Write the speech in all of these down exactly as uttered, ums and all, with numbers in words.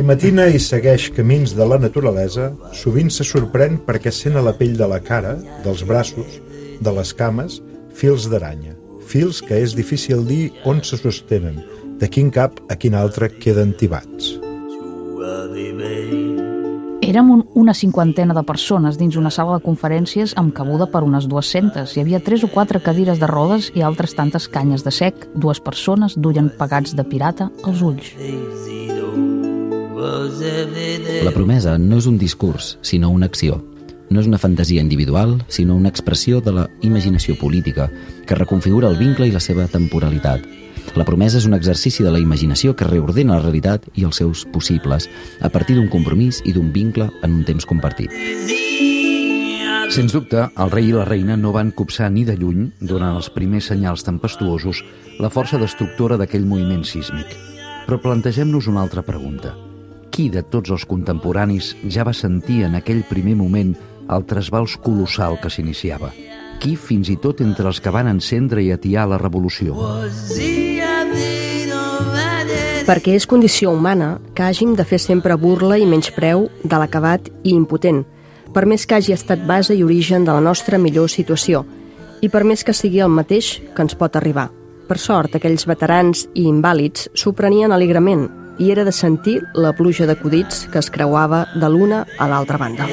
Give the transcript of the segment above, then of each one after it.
Qui matina i segueix camins de la naturalesa sovint se sorprèn perquè sent a la pell de la cara, dels braços, de les cames, fils d'aranya. Fils que és difícil dir on se sostenen, de quin cap a quin altre queden tibats. Érem un, una cinquantena de persones dins una sala de conferències amb cabuda per unes dues-centes. Hi havia tres o quatre cadires de rodes i altres tantes canyes de sec. Dues persones duien pegats de pirata als ulls. La promesa no és un discurs, sinó una acció. No és una fantasia individual, sinó una expressió de la imaginació política que reconfigura el vincle i la seva temporalitat. La promesa és un exercici de la imaginació que reordena la realitat i els seus possibles a partir d'un compromís i d'un vincle en un temps compartit. Sens dubte, el rei i la reina no van copsar ni de lluny, durant els primers senyals tempestuosos, la força destructora d'aquell moviment sísmic. Però plantegem-nos una altra pregunta. Qui de tots els contemporanis ja va sentir en aquell primer moment el trasbals colossal que s'iniciava? Qui, fins i tot entre els que van encendre i atiar la revolució? Perquè és condició humana que hàgim de fer sempre burla i menyspreu de l'acabat i impotent, per més que hagi estat base i origen de la nostra millor situació, i per més que sigui el mateix que ens pot arribar. Per sort, aquells veterans i invàlids s'ho prenien alegrement, i era de sentir la pluja d'acudits que es creuava de l'una a l'altra banda.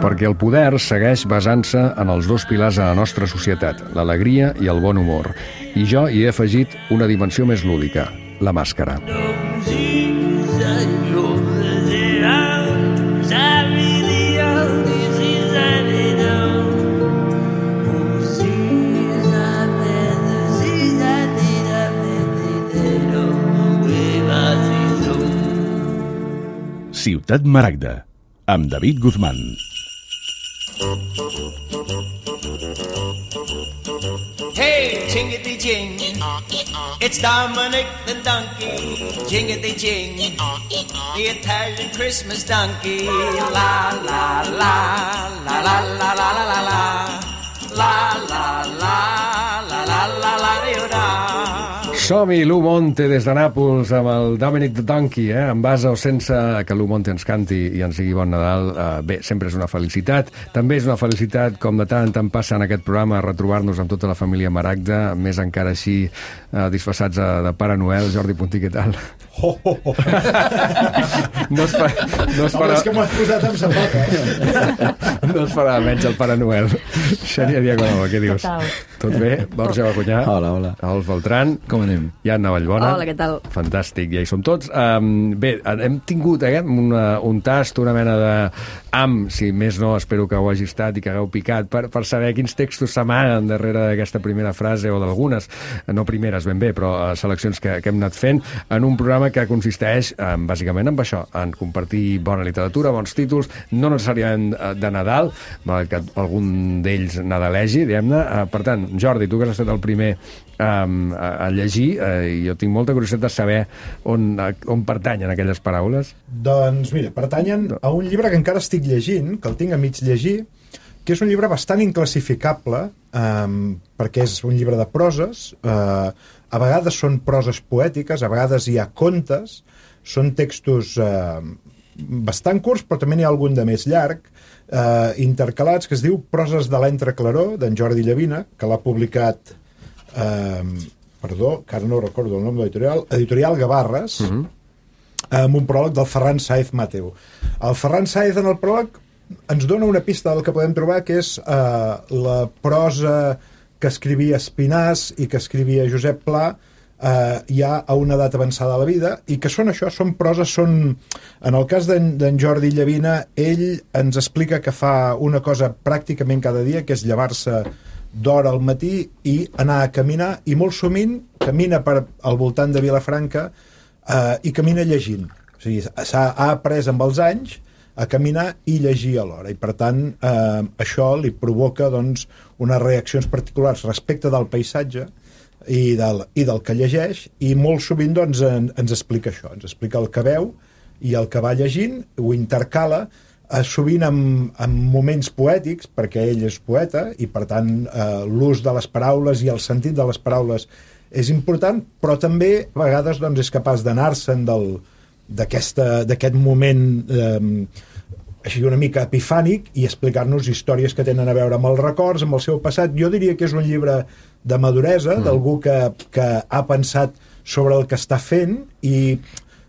Perquè el poder segueix basant-se en els dos pilars de la nostra societat, l'alegria i el bon humor. I jo hi he afegit una dimensió més lúdica, la màscara. Ciutat Maragda, amb David Guzmán. Hey, jingity-jing, it's Dominic the donkey. Jingity-jing, the Italian Christmas donkey. La la la, la la la la la la la, la la la, la la la la la. Som-hi, Lou Monte des de Nàpols amb el Dominic the Donkey, eh? En base o sense que Lou Monte ens canti i ens digui bon Nadal. Eh, bé, sempre és una felicitat. També és una felicitat, com de tant en tant passa en aquest programa, retrobar-nos amb tota la família Maragda, més encara així eh, disfressats de, de Pare Noel. Jordi Puntí, què tal? Oh, oh, oh. No es fa, no es farà... Home, és que m'ho has posat amb sabata, eh? No es farà menys el Pare Noel. Xènia Diagonova, què dius? Tot bé? Borja Bacunyà. Hola, hola. Alf Beltran. Com anem? Ianna Vallbona. Hola, què tal? Fantàstic, ja hi som tots. Um, bé, hem tingut eh, una, un tast, una mena de... Am, si més no, espero que ho hagi estat i que hagueu picat, per, per saber quins textos s'amaguen darrere d'aquesta primera frase o d'algunes, no primeres ben bé, però uh, seleccions que, que hem anat fent en un programa que consisteix um, bàsicament en això, en compartir bona literatura, bons títols, no necessàriament uh, de Nadal, malgrat que algun d'ells nadalegi, diguem-ne. Uh, per tant, Jordi, tu que has estat el primer um, a, a llegir, uh, i jo tinc molta curiositat de saber on, uh, on pertanyen aquelles paraules. Doncs mira, pertanyen a un llibre que encara estic llegint, que el tinc a mig llegir, que és un llibre bastant inclassificable, um, perquè és un llibre de proses, uh, a vegades són proses poètiques, a vegades hi ha contes, són textos uh, bastant curts, però també n'hi ha algun de més llarg, uh, intercalats, que es diu Proses de l'entreclaror, d'en Jordi Llavina, que l'ha publicat, uh, perdó, que ara no recordo el nom de l'editorial, Editorial Gavarres, uh-huh. amb un pròleg del Ferran Sáez Mateu. El Ferran Sáez en el pròleg ens dona una pista del que podem trobar, que és uh, la prosa que escrivia Espinàs i que escrivia Josep Pla eh, ja a una edat avançada de la vida, i que són això, són proses, són... En el cas d'en Jordi Llavina, ell ens explica que fa una cosa pràcticament cada dia, que és llevar-se d'hora al matí i anar a caminar, i molt sovint camina per al voltant de Vilafranca eh, i camina llegint. O sigui, s'ha ha après amb els anys a caminar i llegir alhora, i per tant eh, això li provoca doncs, unes reaccions particulars respecte del paisatge i del, i del que llegeix, i molt sovint doncs, en, ens explica això, ens explica el que veu i el que va llegint, ho intercala eh, sovint amb, amb moments poètics, perquè ell és poeta, i per tant eh, l'ús de les paraules i el sentit de les paraules és important, però també a vegades doncs, és capaç d'anar-se'n d'aquest moment eh, així una mica epifànic i explicar-nos històries que tenen a veure amb els records, amb el seu passat. Jo diria que és un llibre de maduresa, mm. d'algú que, que ha pensat sobre el que està fent i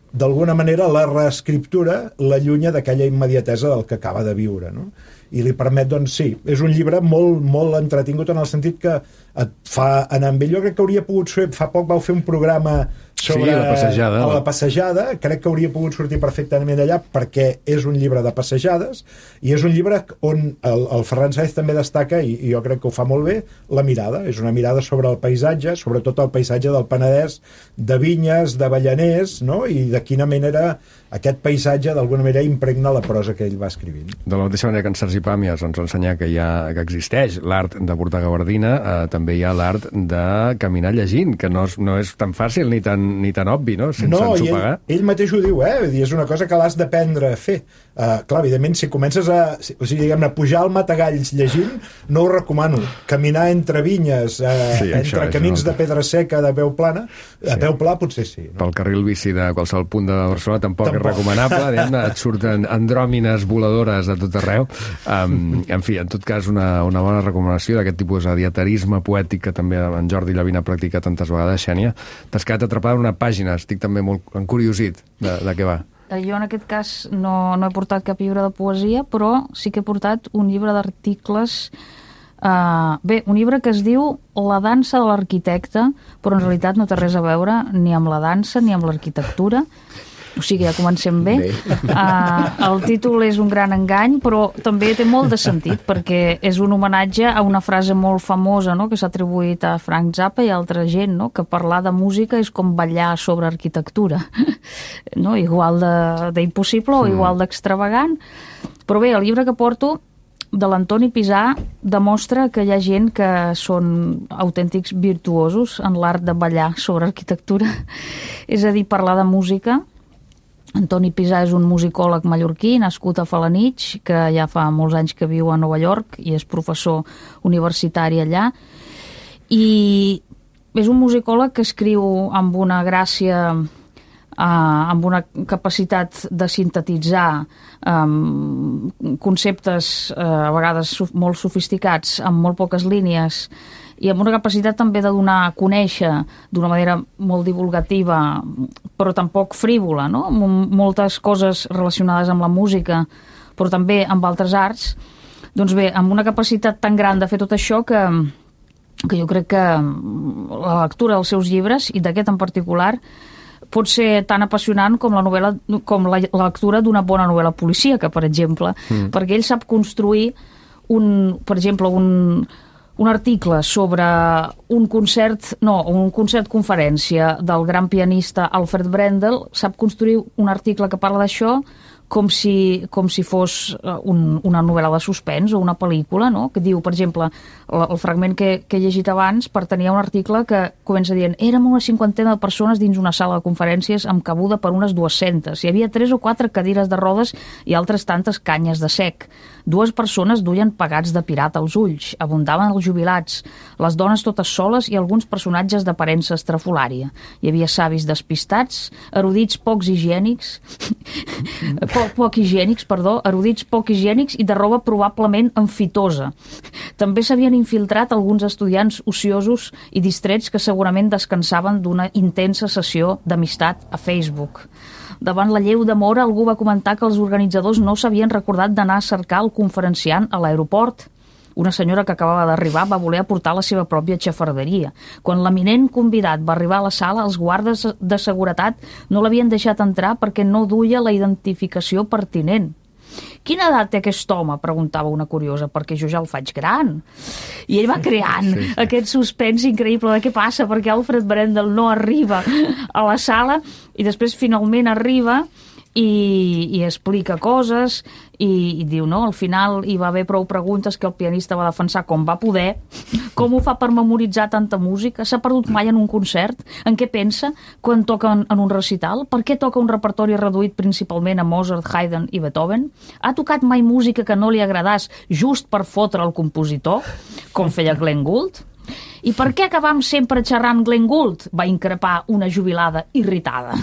d'alguna manera la reescriptura l'allunya d'aquella immediatesa del que acaba de viure, no? I li permet, doncs sí, és un llibre molt, molt entretingut en el sentit que et fa anar amb ell. Jo crec que hauria pogut ser, fa poc vau fer un programa sobre sí, la passejada, a la passejada, crec que hauria pogut sortir perfectament allà perquè és un llibre de passejades i és un llibre on el, el Ferran Sáez també destaca, i, i jo crec que ho fa molt bé, la mirada, és una mirada sobre el paisatge, sobretot el paisatge del Penedès, de vinyes, d'avellaners, no? I de quina manera aquest paisatge d'alguna manera impregna la prosa que ell va escrivint. De la mateixa manera que en Sergi Pàmies ens va ensenyar que, hi ha, que existeix l'art de portar gabardina, eh, també hi ha l'art de caminar llegint, que no és, no és tan fàcil ni tan, ni tan obvi, no? Sense no, ensopegar. Ell, ell mateix ho diu, eh? És una cosa que l'has d'aprendre a fer. Uh, clar, evidentment, si comences a, o sigui, diguem-ne, pujar al Matagalls llegint, no ho recomano. Caminar entre vinyes, uh, sí, entre això, camins això. de pedra seca, de peu plana, sí. a peu pla potser sí. No? Pel carril bici de qualsevol punt de Barcelona tampoc, tampoc. és recomanable. Et surten andròmines voladores de tot arreu. Um, en fi, en tot cas, una, una bona recomanació d'aquest tipus de dietarisme poètic que també en Jordi Llavina practica tantes vegades. Xènia, t'has quedat atrapada en una pàgina, estic també molt encuriosit de, de què va. Jo en aquest cas no, no he portat cap llibre de poesia, però sí que he portat un llibre d'articles, uh, bé, un llibre que es diu La dansa de l'arquitecte, però en realitat no té res a veure ni amb la dansa ni amb l'arquitectura. O sigui, ja comencem bé. bé. Uh, el títol és un gran engany, però també té molt de sentit, perquè és un homenatge a una frase molt famosa, no?, que s'ha atribuït a Frank Zappa i a altra gent, no?, que parlar de música és com ballar sobre arquitectura. No? Igual d'impossible o igual d'extravagant. Però bé, el llibre que porto de l'Antoni Pisà demostra que hi ha gent que són autèntics virtuosos en l'art de ballar sobre arquitectura. És a dir, parlar de música. Antoni Pisà és un musicòleg mallorquí nascut a Felanitx, que ja fa molts anys que viu a Nova York i és professor universitari allà. I és un musicòleg que escriu amb una gràcia, eh, amb una capacitat de sintetitzar eh, conceptes eh, a vegades molt sofisticats amb molt poques línies i amb una capacitat també de donar a conèixer d'una manera molt divulgativa, però tampoc frívola, no? Amb moltes coses relacionades amb la música, però també amb altres arts. Doncs bé, amb una capacitat tan gran de fer tot això que, que jo crec que la lectura dels seus llibres, i d'aquest en particular, pot ser tan apassionant com la novel·la, com la, la lectura d'una bona novel·la policíaca, per exemple, mm. perquè ell sap construir un, per exemple, un un article sobre un concert, no, un concert conferència del gran pianista Alfred Brendel, sap construir un article que parla d'això com si, com si fos un, una novel·la de suspens o una pel·lícula, no? Que diu, per exemple, el, el fragment que, que he llegit abans pertanyia a un article que comença dient érem una cinquantena de persones dins una sala de conferències amb cabuda per unes dues-centes. Hi havia tres o quatre cadires de rodes i altres tantes canyes de sec. Dues persones duien pegats de pirata als ulls. Abundaven els jubilats, les dones totes soles i alguns personatges d'aparença estrafolària. Hi havia savis despistats, erudits pocs higiènics, poc, poc higiènics, perdó, erudits poc higiènics i de roba probablement enfitosa. També s'havien infiltrat alguns estudiants ociosos i distrets que segurament descansaven d'una intensa sessió d'amistat a Facebook. Davant la lleu d'amor, algú va comentar que els organitzadors no s'havien recordat d'anar a cercar el conferenciant a l'aeroport. Una senyora que acabava d'arribar va voler aportar la seva pròpia xafarderia. Quan l'eminent convidat va arribar a la sala, els guardes de seguretat no l'havien deixat entrar perquè no duia la identificació pertinent. Quina edat té aquest home? Preguntava una curiosa, perquè jo ja el faig gran. I ell va creant sí, sí. aquest suspens increïble de què passa, perquè Alfred Brendel no arriba a la sala i després finalment arriba i, i explica coses i, i diu, no, al final hi va haver prou preguntes que el pianista va defensar com va poder, com ho fa per memoritzar tanta música, s'ha perdut mai en un concert, en què pensa quan toca en, en un recital, per què toca un repertori reduït principalment a Mozart, Haydn i Beethoven, ha tocat mai música que no li agradàs just per fotre el compositor, com feia Glenn Gould? I per què acabam sempre xerrant Glenn Gould? Va increpar una jubilada irritada.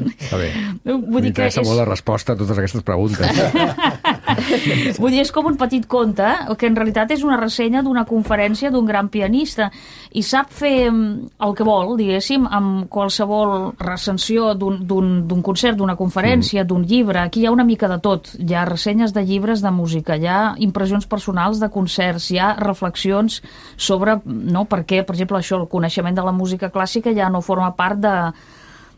Està bé. M'interessa és... molt la resposta a totes aquestes preguntes. Vull dir, és com un petit conte, que en realitat és una ressenya d'una conferència d'un gran pianista, i sap fer el que vol, diguéssim, amb qualsevol recensió d'un concert, d'una conferència, mm. d'un llibre. Aquí hi ha una mica de tot. Hi ha ressenyes de llibres de música, hi ha impressions personals de concerts, hi ha reflexions sobre, no, per què, per exemple, això, el coneixement de la música clàssica ja no forma part de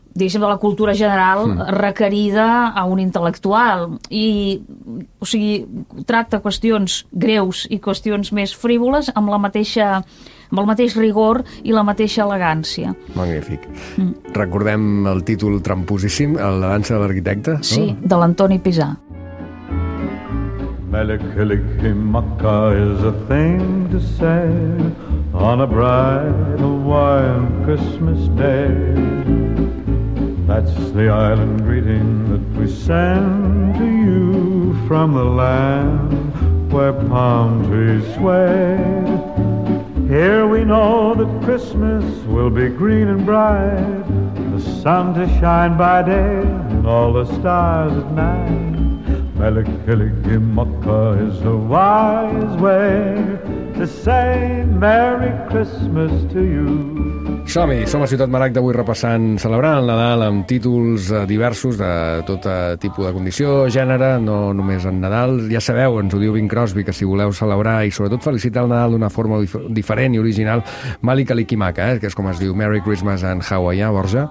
diguéssim, de la cultura general requerida a un intel·lectual. I, o sigui, tracta qüestions greus i qüestions més frívoles amb la mateixa, amb el mateix rigor i la mateixa elegància. Magnífic. Mm. Recordem el títol tramposíssim, el La dansa de l'arquitecte? Sí, no? De l'Antoni Pisà. Melikilikimaka is a thing to say on a bright Hawaiian Christmas day. That's the island greeting that we send to you from the land where palm trees sway. Here we know that Christmas will be green and bright, the sun to shine by day and all the stars at night. Melikilikimaka is a wise way to say Merry Christmas to you. Som-hi, som a Ciutat Maragda avui repassant, celebrant el Nadal amb títols diversos de tot tipus de condició, gènere, no només en Nadal. Ja sabeu, ens ho diu Bing Crosby, que si voleu celebrar i sobretot felicitar el Nadal d'una forma dif diferent i original, Melikilikimaka, eh, que és com es diu Merry Christmas en hawaià, Borja.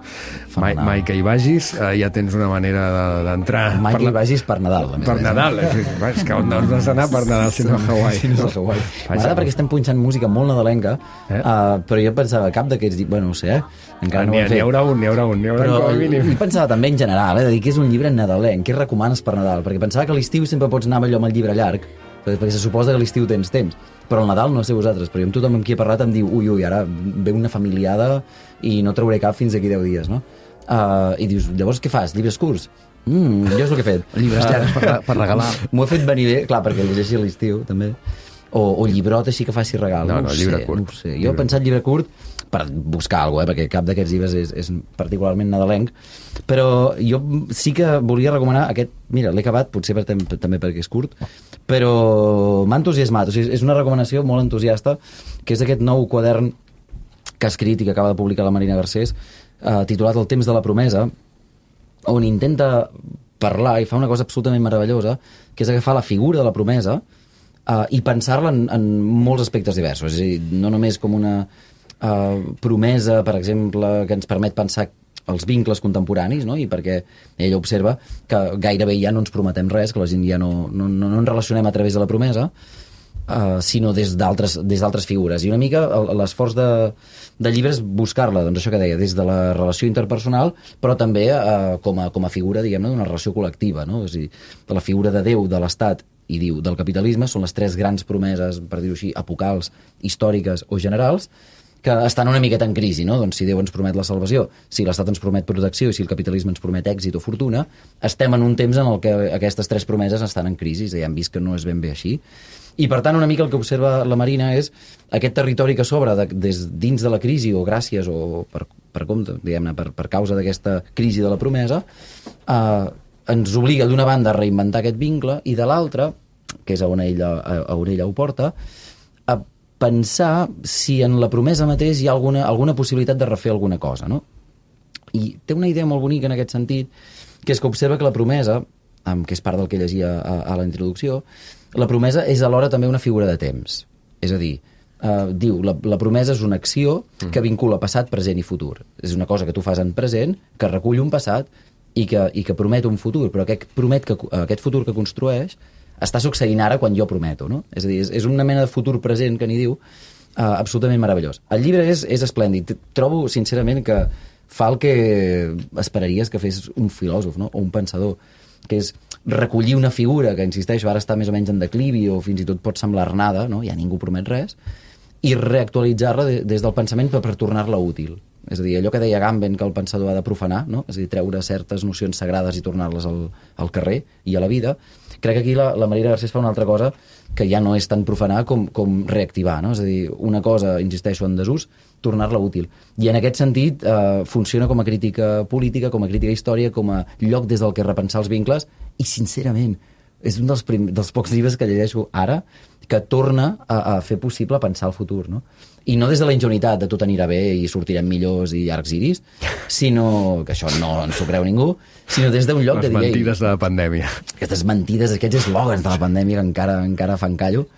Mai, mai que hi vagis, eh, ja tens una manera d'entrar. De, mai que hi vagis per Nadal. Per Nadal, és, és que on has d'anar per Nadal si no a Hawaii. Si no a Hawaii. M'agrada perquè estem punxant música molt nadalenca, eh? uh, però jo pensava, cap d'aquests, bueno, no sé, eh? Encara no ho he fet. N'hi haurà un, n'hi haurà un, n'hi haurà però un mínim. I pensava també en general, eh, de dir que és un llibre nadalenc, què recomanes per Nadal? Perquè pensava que a l'estiu sempre pots anar allò amb el llibre llarg, perquè se suposa que a l'estiu tens temps, però al Nadal no sé vosaltres, però jo amb tothom amb qui he parlat em diu, ui, ui, ara ve una familiada i no trauré cap fins d'aquí deu dies, no? Uh, I dius, llavors què fas? Llibres curts? Mm, jo és el que he fet. Llibres llargs per, per regalar. M'ho he fet venir bé, clar, perquè llegeixi a l'estiu, també. O, o llibrot així que faci regal. No, no, no, llibre sé, curt. No sé. Jo he pensat llibre curt per buscar alguna cosa, eh, perquè cap d'aquests llibres és, és particularment nadalenc, però jo sí que volia recomanar aquest, mira, l'he acabat, potser per, també perquè és curt, però m'ha entusiasmat, o sigui, és una recomanació molt entusiasta, que és aquest nou quadern que ha escrit i que acaba de publicar la Marina Garcés, eh, titulat El temps de la promesa, on intenta parlar i fa una cosa absolutament meravellosa, que és agafar la figura de la promesa uh, i pensar-la en, en molts aspectes diversos. És a dir, no només com una uh, promesa, per exemple, que ens permet pensar els vincles contemporanis, no? I perquè ella observa que gairebé ja no ens prometem res, que la gent ja no, no, no, no ens relacionem a través de la promesa, Uh, sinó des d'altres des d'altres figures. I una mica l'esforç de, de llibre és buscar-la, doncs això que deia, des de la relació interpersonal, però també uh, com, a, com a figura, diguem-ne, d'una relació col·lectiva, no? És a dir, de la figura de Déu, de l'Estat i diu del capitalisme són les tres grans promeses, per dir-ho així, apocals, històriques o generals, que estan una miqueta en crisi, no? Doncs si Déu ens promet la salvació, si l'Estat ens promet protecció i si el capitalisme ens promet èxit o fortuna, estem en un temps en el que aquestes tres promeses estan en crisi, ja hem vist que no és ben bé així. I, per tant, una mica el que observa la Marina és aquest territori que s'obre de, des dins de la crisi, o gràcies, o per, per compte, diguem-ne, per, per causa d'aquesta crisi de la promesa, eh, ens obliga d'una banda a reinventar aquest vincle i de l'altra, que és a on ella, a, a on ella ho porta, a pensar si en la promesa mateix hi ha alguna, alguna possibilitat de refer alguna cosa, no? I té una idea molt bonica en aquest sentit, que és que observa que la promesa, que és part del que llegia a, a la introducció, la promesa és alhora també una figura de temps. És a dir, eh, diu, la, la promesa és una acció que vincula passat, present i futur. És una cosa que tu fas en present, que recull un passat i que, i que promet un futur, però aquest, promet que, aquest futur que construeix està succeint ara quan jo prometo, no? És a dir, és, és una mena de futur present que n'hi diu, eh, absolutament meravellós. El llibre és, és esplèndid. Trobo, sincerament, que fa el que esperaries que fes un filòsof, no? O un pensador, que és recollir una figura que, insisteixo, ara està més o menys en declivi o fins i tot pot semblar nada, no? Ja ningú promet res, i reactualitzar-la de, des del pensament per, per tornar-la útil. És a dir, allò que deia Agamben que el pensador ha de profanar, no? És a dir, treure certes nocions sagrades i tornar-les al, al carrer i a la vida. Crec que aquí la, la Marina Garcés fa una altra cosa que ja no és tan profanar com, com reactivar, no? És a dir, una cosa, insisteixo, en desús, tornar-la útil. I en aquest sentit eh, funciona com a crítica política, com a crítica història, com a lloc des del que repensar els vincles, i sincerament és un dels, prim, dels pocs llibres que llegeixo ara que torna a, a fer possible pensar el futur, no? I no des de la ingenuïtat de tot anirà bé i sortirem millors i arcs iris, sinó, que això no ens ho creu ningú, sinó des d'un lloc Les de dir... Les mentides de la pandèmia. Aquestes mentides, aquests eslògans de la pandèmia que encara, encara fan callo,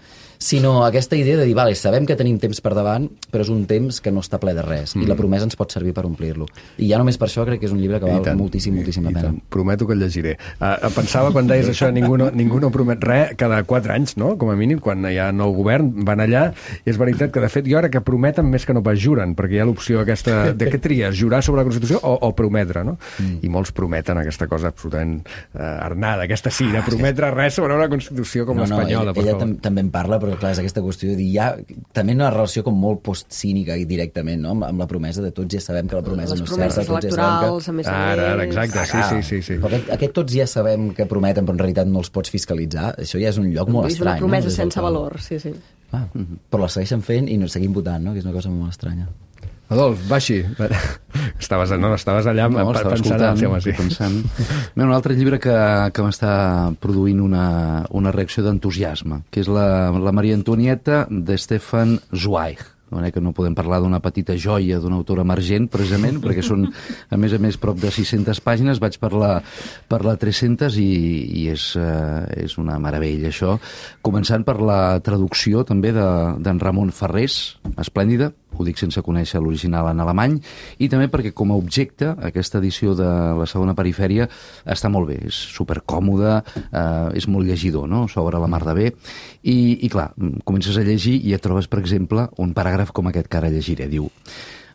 sinó aquesta idea de dir, vale, sabem que tenim temps per davant, però és un temps que no està ple de res, mm. i la promesa ens pot servir per omplir-lo. I ja només per això crec que és un llibre que val tant, moltíssim, moltíssim la pena. Prometo que el llegiré. Uh, pensava, quan deies això, ningú no, ningú no promet res, cada quatre anys, no?, com a mínim, quan hi ha nou govern, van allà, i és veritat que, de fet, jo ara que prometen més que no pas juren, perquè hi ha l'opció aquesta de què tries, jurar sobre la Constitució o, o prometre, no? Mm. I molts prometen aquesta cosa absolutament uh, arnada, aquesta cira, prometre res sobre una Constitució com no, l'espanyola. No, ella, ella tam també en parla, però clar, és aquesta qüestió de dir, ja, també una relació com molt postcínica i directament, no?, amb, amb la promesa de tots ja sabem que la promesa les no és certa, tots ja sabem que... a més a ara, ara, més... exacte, sí, sí, sí, sí. Però aquest, aquest tots ja sabem que prometen, però en realitat no els pots fiscalitzar, això ja és un lloc molt és estrany. És una promesa no? sense valor, sí, sí. Ah, però la segueixen fent i no seguim votant, no?, que és una cosa molt estranya. Adolf, Baxi, estaves, no, estaves allà no, pensant, pensant, sí, home, sí. pensant. Bé, un altre llibre que, que m'està produint una, una reacció d'entusiasme, que és la, la Maria Antonieta de Stefan Zweig. Que no podem parlar d'una petita joia d'un autor emergent, precisament, perquè són, a més a més, prop de sis-centes pàgines, vaig per la, per la tres-centes i, i és, uh, és una meravella, això. Començant per la traducció, també, d'en de, Ramon Ferrés, esplèndida, ho dic sense conèixer l'original en alemany, i també perquè com a objecte aquesta edició de la segona perifèria està molt bé, és supercòmoda, eh, és molt llegidor, no?, s'obre la mar de bé, i, i clar, comences a llegir i et trobes, per exemple, un paràgraf com aquest que ara llegiré, diu: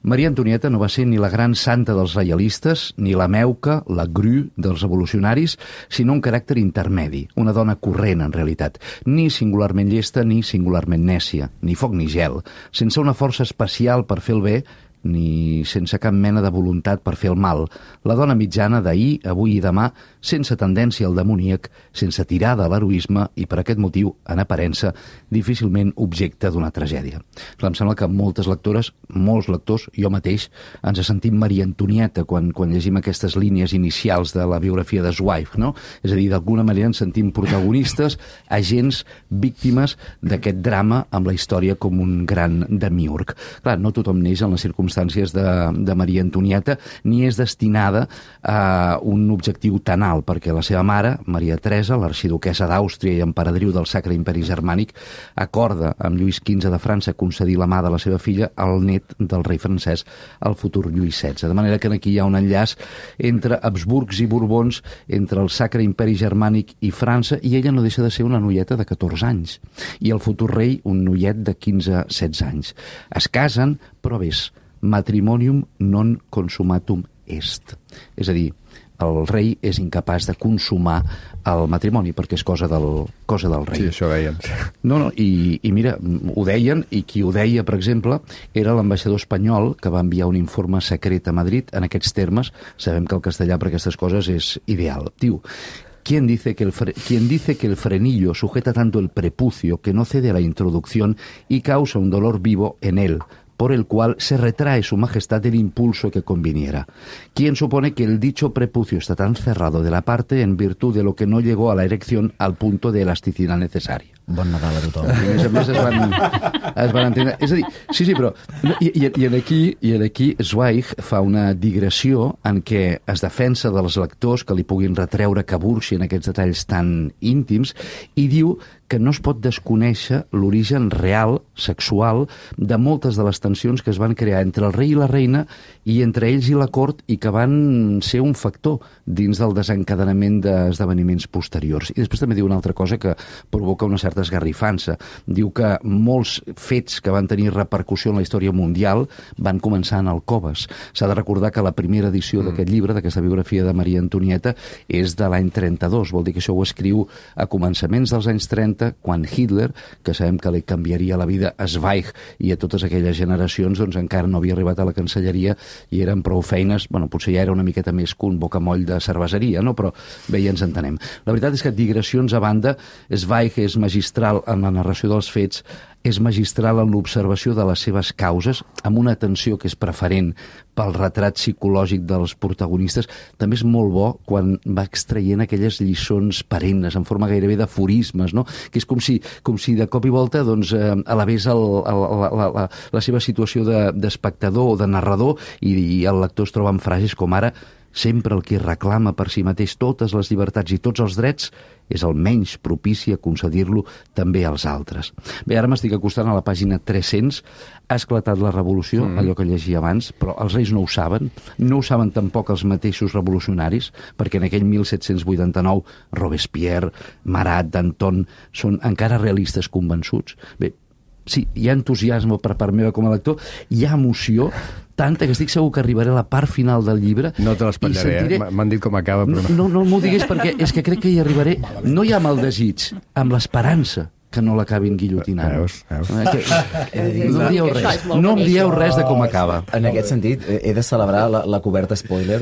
Maria Antonieta no va ser ni la gran santa dels reialistes, ni la meuca, la gru dels revolucionaris, sinó un caràcter intermedi, una dona corrent, en realitat, ni singularment llesta ni singularment nècia, ni foc ni gel, sense una força especial per fer el bé, ni sense cap mena de voluntat per fer el mal. La dona mitjana d'ahir, avui i demà, sense tendència al demoníac, sense tirada a l'heroisme i, per aquest motiu, en aparença, difícilment objecte d'una tragèdia. Clar, em sembla que moltes lectores, molts lectors, jo mateix, ens sentim Maria Antonieta quan, quan llegim aquestes línies inicials de la biografia de Zweig, no? És a dir, d'alguna manera ens sentim protagonistes, agents, víctimes d'aquest drama amb la història com un gran demiurg. Clar, no tothom neix en les circumstàncies de, de Maria Antonieta, ni és destinada a un objectiu tan alt, perquè la seva mare, Maria Teresa, l'arxiduquessa d'Àustria i emperadriu del Sacre Imperi Germànic, acorda amb Lluís quinze de França concedir la mà de la seva filla al net del rei francès, el futur Lluís setze. De manera que aquí hi ha un enllaç entre Habsburgs i Borbons, entre el Sacre Imperi Germànic i França, i ella no deixa de ser una noieta de catorze anys, i el futur rei un noiet de quinze setze anys. Es casen, però ves, matrimonium non consumatum est. És a dir, el rei és incapaç de consumar el matrimoni perquè és cosa del, cosa del rei. Sí, això deien. No, no, i, i mira, ho deien, i qui ho deia, per exemple, era l'ambaixador espanyol que va enviar un informe secret a Madrid en aquests termes. Sabem que el castellà per aquestes coses és ideal. Diu: ¿Quién dice, que el fre quien dice que el frenillo sujeta tanto el prepucio que no cede a la introducción y causa un dolor vivo en él, por el cual se retrae su majestad del impulso que conviniera? ¿Quién supone que el dicho prepucio está tan cerrado de la parte en virtud de lo que no llegó a la erección al punto de elasticidad necesaria? Bon Nadal a tothom. I a més a més es van, es van entendre. És a dir, sí, sí, però... I, i, i, en aquí, I en aquí Zweig fa una digressió en què es defensa dels lectors que li puguin retreure que burxi en aquests detalls tan íntims i diu que no es pot desconèixer l'origen real, sexual, de moltes de les tensions que es van crear entre el rei i la reina i entre ells i la cort i que van ser un factor dins del desencadenament d'esdeveniments posteriors. I després també diu una altra cosa que provoca una certa cert esgarrifança. Diu que molts fets que van tenir repercussió en la història mundial van començar en alcoves. S'ha de recordar que la primera edició mm. d'aquest llibre, d'aquesta biografia de Maria Antonieta, és de l'any trenta-dos. Vol dir que això ho escriu a començaments dels anys trenta, quan Hitler, que sabem que li canviaria la vida a Zweig i a totes aquelles generacions, doncs encara no havia arribat a la Cancelleria i eren prou feines, bueno, potser ja era una miqueta més que un bocamoll de cerveseria, no? Però bé, ja ens entenem. La veritat és que, digressions a banda, Zweig és magistral en la narració dels fets, és magistral en l'observació de les seves causes, amb una atenció que és preferent pel retrat psicològic dels protagonistes. També és molt bo quan va extraient aquelles lliçons perennes, en forma gairebé d'aforismes, no? Que és com si, com si de cop i volta doncs, eh, elevés el, el, la, la, la, la seva situació d'espectador de, o de narrador i, i el lector es troba amb frases com ara: sempre el que reclama per si mateix totes les llibertats i tots els drets és el menys propici a concedir-lo també als altres. Bé, ara m'estic acostant a la pàgina tres-cents. Ha esclatat la revolució, mm. allò que llegia abans, però els reis no ho saben. No ho saben tampoc els mateixos revolucionaris, perquè en aquell mil set-cents vuitanta-nou Robespierre, Marat, Danton són encara realistes convençuts. Bé, sí, hi ha entusiasme per part meva com a lector, hi ha emoció, tanta que estic segur que arribaré a la part final del llibre. No te l'espatllaré, sentiré... eh? M'han dit com acaba, però no. No, no, no m'ho diguis perquè és que crec que hi arribaré, no ja amb el desig, amb l'esperança que no l'acabin guillotinant. Veus, veus. Eh, no em dieu res, no em dieu res de com acaba. En aquest sentit, he de celebrar la, la coberta spoiler,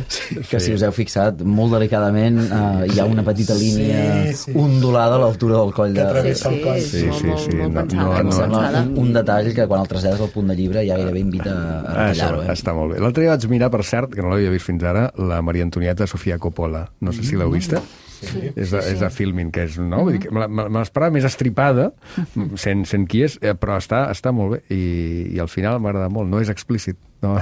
que si us heu fixat, molt delicadament eh, hi ha una petita línia sí, sí. ondulada a l'altura del coll. De... Sí, sí, el coll. sí, sí, sí. Molt, molt no, no, no, no, un, un detall que quan el trasllades al punt de llibre ja gairebé invita a retallar-ho. Eh? Està molt bé. L'altre dia vaig mirar, per cert, que no l'havia vist fins ara, la Maria Antonieta Sofia Coppola. No sé si l'heu vista. Sí, és, de, és de Filmin, que és, no? Vull dir que me l'esperava més estripada, sent, sent qui és, però està, està molt bé, i, i al final m'agrada molt. No és explícit, no,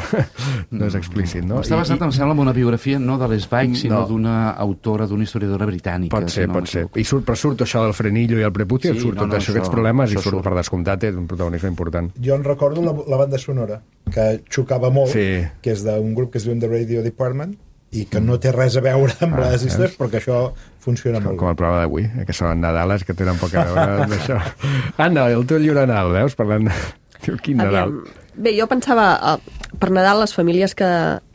no és explícit, no? Està basat, I, em sembla, en una biografia no de l'Sveig, sinó no. d'una autora, d'una historiadora britànica. Pot ser, si no pot ser. I surt, però surt això del frenillo i el prepucio, sí, surt no, tot no, això, aquests problemes, i surt, surt per descomptat, és un protagonisme important. Jo en recordo la, la banda sonora, que xocava molt, sí. que és d'un grup que es diu The Radio Department, i que no té res a veure amb ah, les històries, perquè això funciona com, molt com el programa d'avui, eh, que són Nadales que tenen poc a veure amb això. Anna, el teu llibre Nadal, veus? Parlant... Diu, quin Nadal? Bé, jo pensava, uh, per Nadal les famílies que,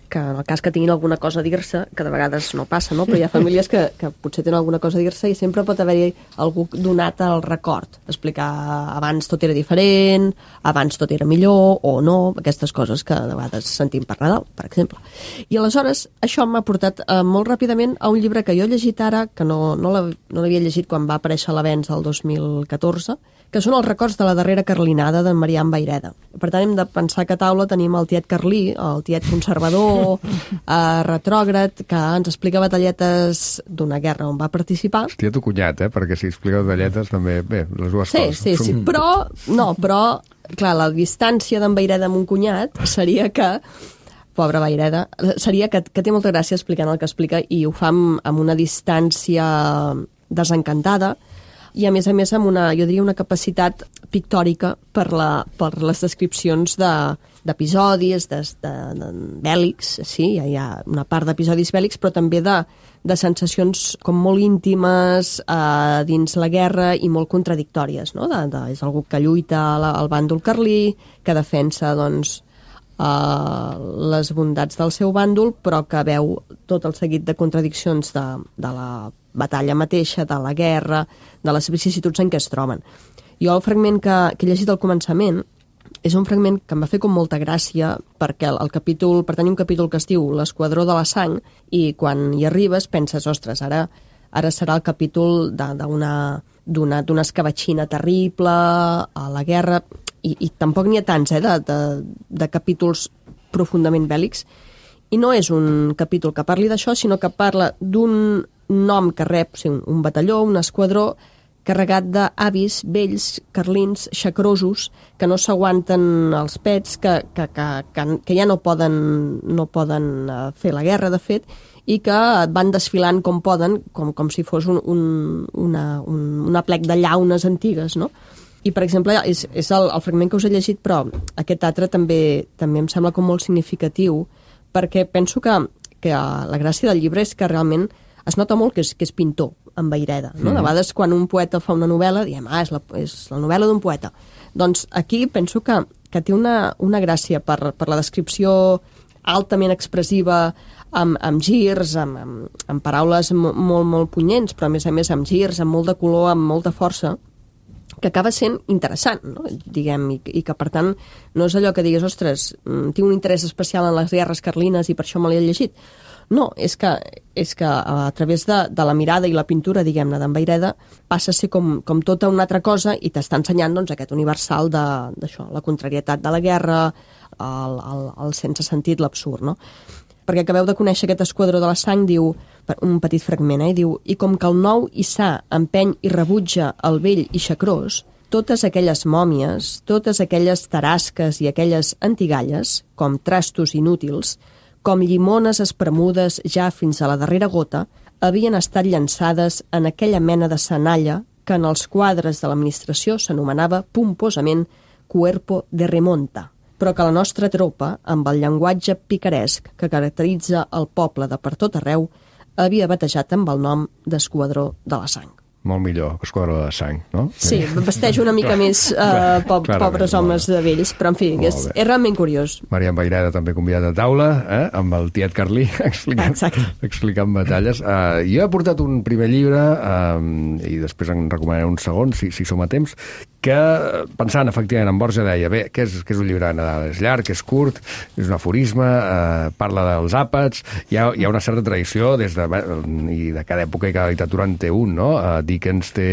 que en el cas que tinguin alguna cosa a dir-se, que de vegades no passa, no? Però hi ha famílies que, que potser tenen alguna cosa a dir-se i sempre pot haver-hi algú donat al record. Explicar abans tot era diferent, abans tot era millor o no, aquestes coses que de vegades sentim per Nadal, per exemple. I aleshores això m'ha portat eh, molt ràpidament a un llibre que jo he llegit ara, que no, no l'havia llegit quan va aparèixer a l'Avenç el dos mil catorze, que són els records de la darrera carlinada d'en Marian Vayreda. Per tant, hem de pensar que a taula tenim el tiet Carlí, el tiet conservador, eh, retrògrad, que ens explica batalletes d'una guerra on va participar. Hòstia, tu cunyat, eh? Perquè si explica batalletes també, bé, les dues sí, coses. Sí, sí, sí, però, no, però, clar, la distància d'en Vayreda amb un cunyat seria que pobre Vayreda, seria que, que té molta gràcia explicant el que explica i ho fa amb, amb una distància desencantada, i a més a més amb una, jo diria, una capacitat pictòrica per, la, per les descripcions d'episodis, de, de, de, de bèl·lics, sí, hi ha una part d'episodis bèl·lics, però també de, de sensacions com molt íntimes eh, dins la guerra i molt contradictòries, no? De, de, és algú que lluita al, al bàndol carlí, que defensa, doncs, eh, les bondats del seu bàndol, però que veu tot el seguit de contradiccions de, de la batalla mateixa, de la guerra, de les vicissituds en què es troben. Jo el fragment que, que he llegit al començament és un fragment que em va fer com molta gràcia perquè el, el capítol, pertany a un capítol que es diu L'esquadró de la sang i quan hi arribes penses, ostres, ara, ara serà el capítol d'una d'una d'una escabatxina terrible a la guerra i, i tampoc n'hi ha tants, eh, de, de, de capítols profundament bèl·lics i no és un capítol que parli d'això, sinó que parla d'un nom que rep, o sigui, un batalló, un esquadró carregat d'avis vells, carlins, xacrosos, que no s'aguanten els pets, que, que, que, que, que ja no poden, no poden fer la guerra, de fet, i que van desfilant com poden, com, com si fos un, un, una, un, una plec de llaunes antigues, no? I, per exemple, és, és el, el fragment que us he llegit, però aquest altre també, també em sembla com molt significatiu, perquè penso que, que la gràcia del llibre és que realment es nota molt que és, que és pintor. en Vayreda. No? Mm. De vegades, quan un poeta fa una novel·la, diem, ah, és la, és la novel·la d'un poeta. Doncs aquí penso que, que té una, una gràcia per, per la descripció altament expressiva, amb, amb girs, amb, amb, amb paraules molt, molt punyents, però a més a més amb girs, amb molt de color, amb molta força, que acaba sent interessant, no? Diguem, i, i que per tant no és allò que digues, ostres, tinc un interès especial en les guerres carlines i per això me l'he llegit. No, és que, és que a través de, de la mirada i la pintura, diguem-ne, d'en Vayreda, passa a ser com, com tota una altra cosa i t'està ensenyant doncs, aquest universal d'això, la contrarietat de la guerra, el, el, el sense sentit, l'absurd, no? Perquè acabeu de conèixer aquest esquadró de la sang, diu, un petit fragment, eh, diu, i com que el nou i sa empeny i rebutja el vell i xacrós, totes aquelles mòmies, totes aquelles tarasques i aquelles antigalles, com trastos inútils, com llimones espremudes ja fins a la darrera gota, havien estat llançades en aquella mena de senalla que en els quadres de l'administració s'anomenava pomposament cuerpo de remonta, però que la nostra tropa, amb el llenguatge picaresc que caracteritza el poble de per tot arreu, havia batejat amb el nom d'Esquadró de la Sang. Molt millor que Esquadró de Sang, no? Sí, vesteix una mica més uh, po pobres homes de vells, però en fi, és, és realment curiós. Marian Vayreda també convidat a taula, eh? Amb el tiet Carlí, explicant, explicant batalles. Uh, jo he portat un primer llibre, uh, i després en recomanaré un segon, si, si som a temps, que, pensant efectivament en Borja, deia, bé, què és, què és un llibre de Nadal? És llarg, és curt, és un aforisme, eh, parla dels àpats, hi ha, hi ha una certa tradició des de, i de cada època i cada literatura en té un, no? Eh, Dickens té,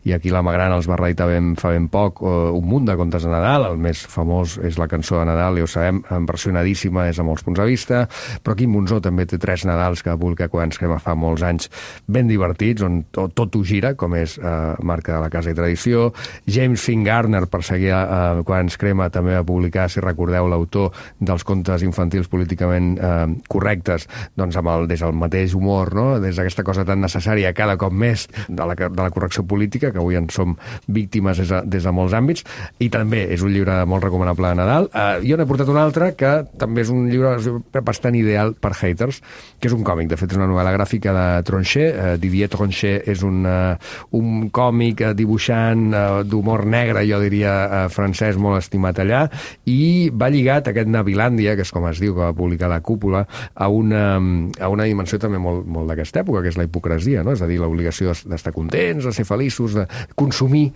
i aquí la Magrana els va reeditar ben, fa ben poc, uh, un munt de contes de Nadal, el més famós és la cançó de Nadal, ja ho sabem, versionadíssima des de molts punts de vista, però Quim Monzó també té tres Nadals que va publicar quan ens crema fa molts anys, ben divertits, on tot ho gira, com és uh, marca de la Casa i Tradició. James Finn Gardner, per seguir uh, quan ens crema, també va publicar, si recordeu, l'autor dels contes infantils políticament uh, correctes, doncs amb el, des del mateix humor, no? Des d'aquesta cosa tan necessària cada cop més de la, de la correcció política, que avui en som víctimes des de, des de molts àmbits, i també és un llibre molt recomanable de Nadal. Uh, jo n'he portat un altre que també és un llibre bastant ideal per haters, que és un còmic, de fet és una novel·la gràfica de Tronchet. uh, Didier Tronchet és un, uh, un còmic uh, dibuixant uh, d'humor negre, jo diria, uh, francès, molt estimat allà, i va lligat aquest Navilàndia, que és com es diu, que va publicar la Cúpula, a una, a una dimensió també molt, molt d'aquesta època, que és la hipocresia, no? És a dir, l'obligació d'estar contents, de ser feliços, de consumir,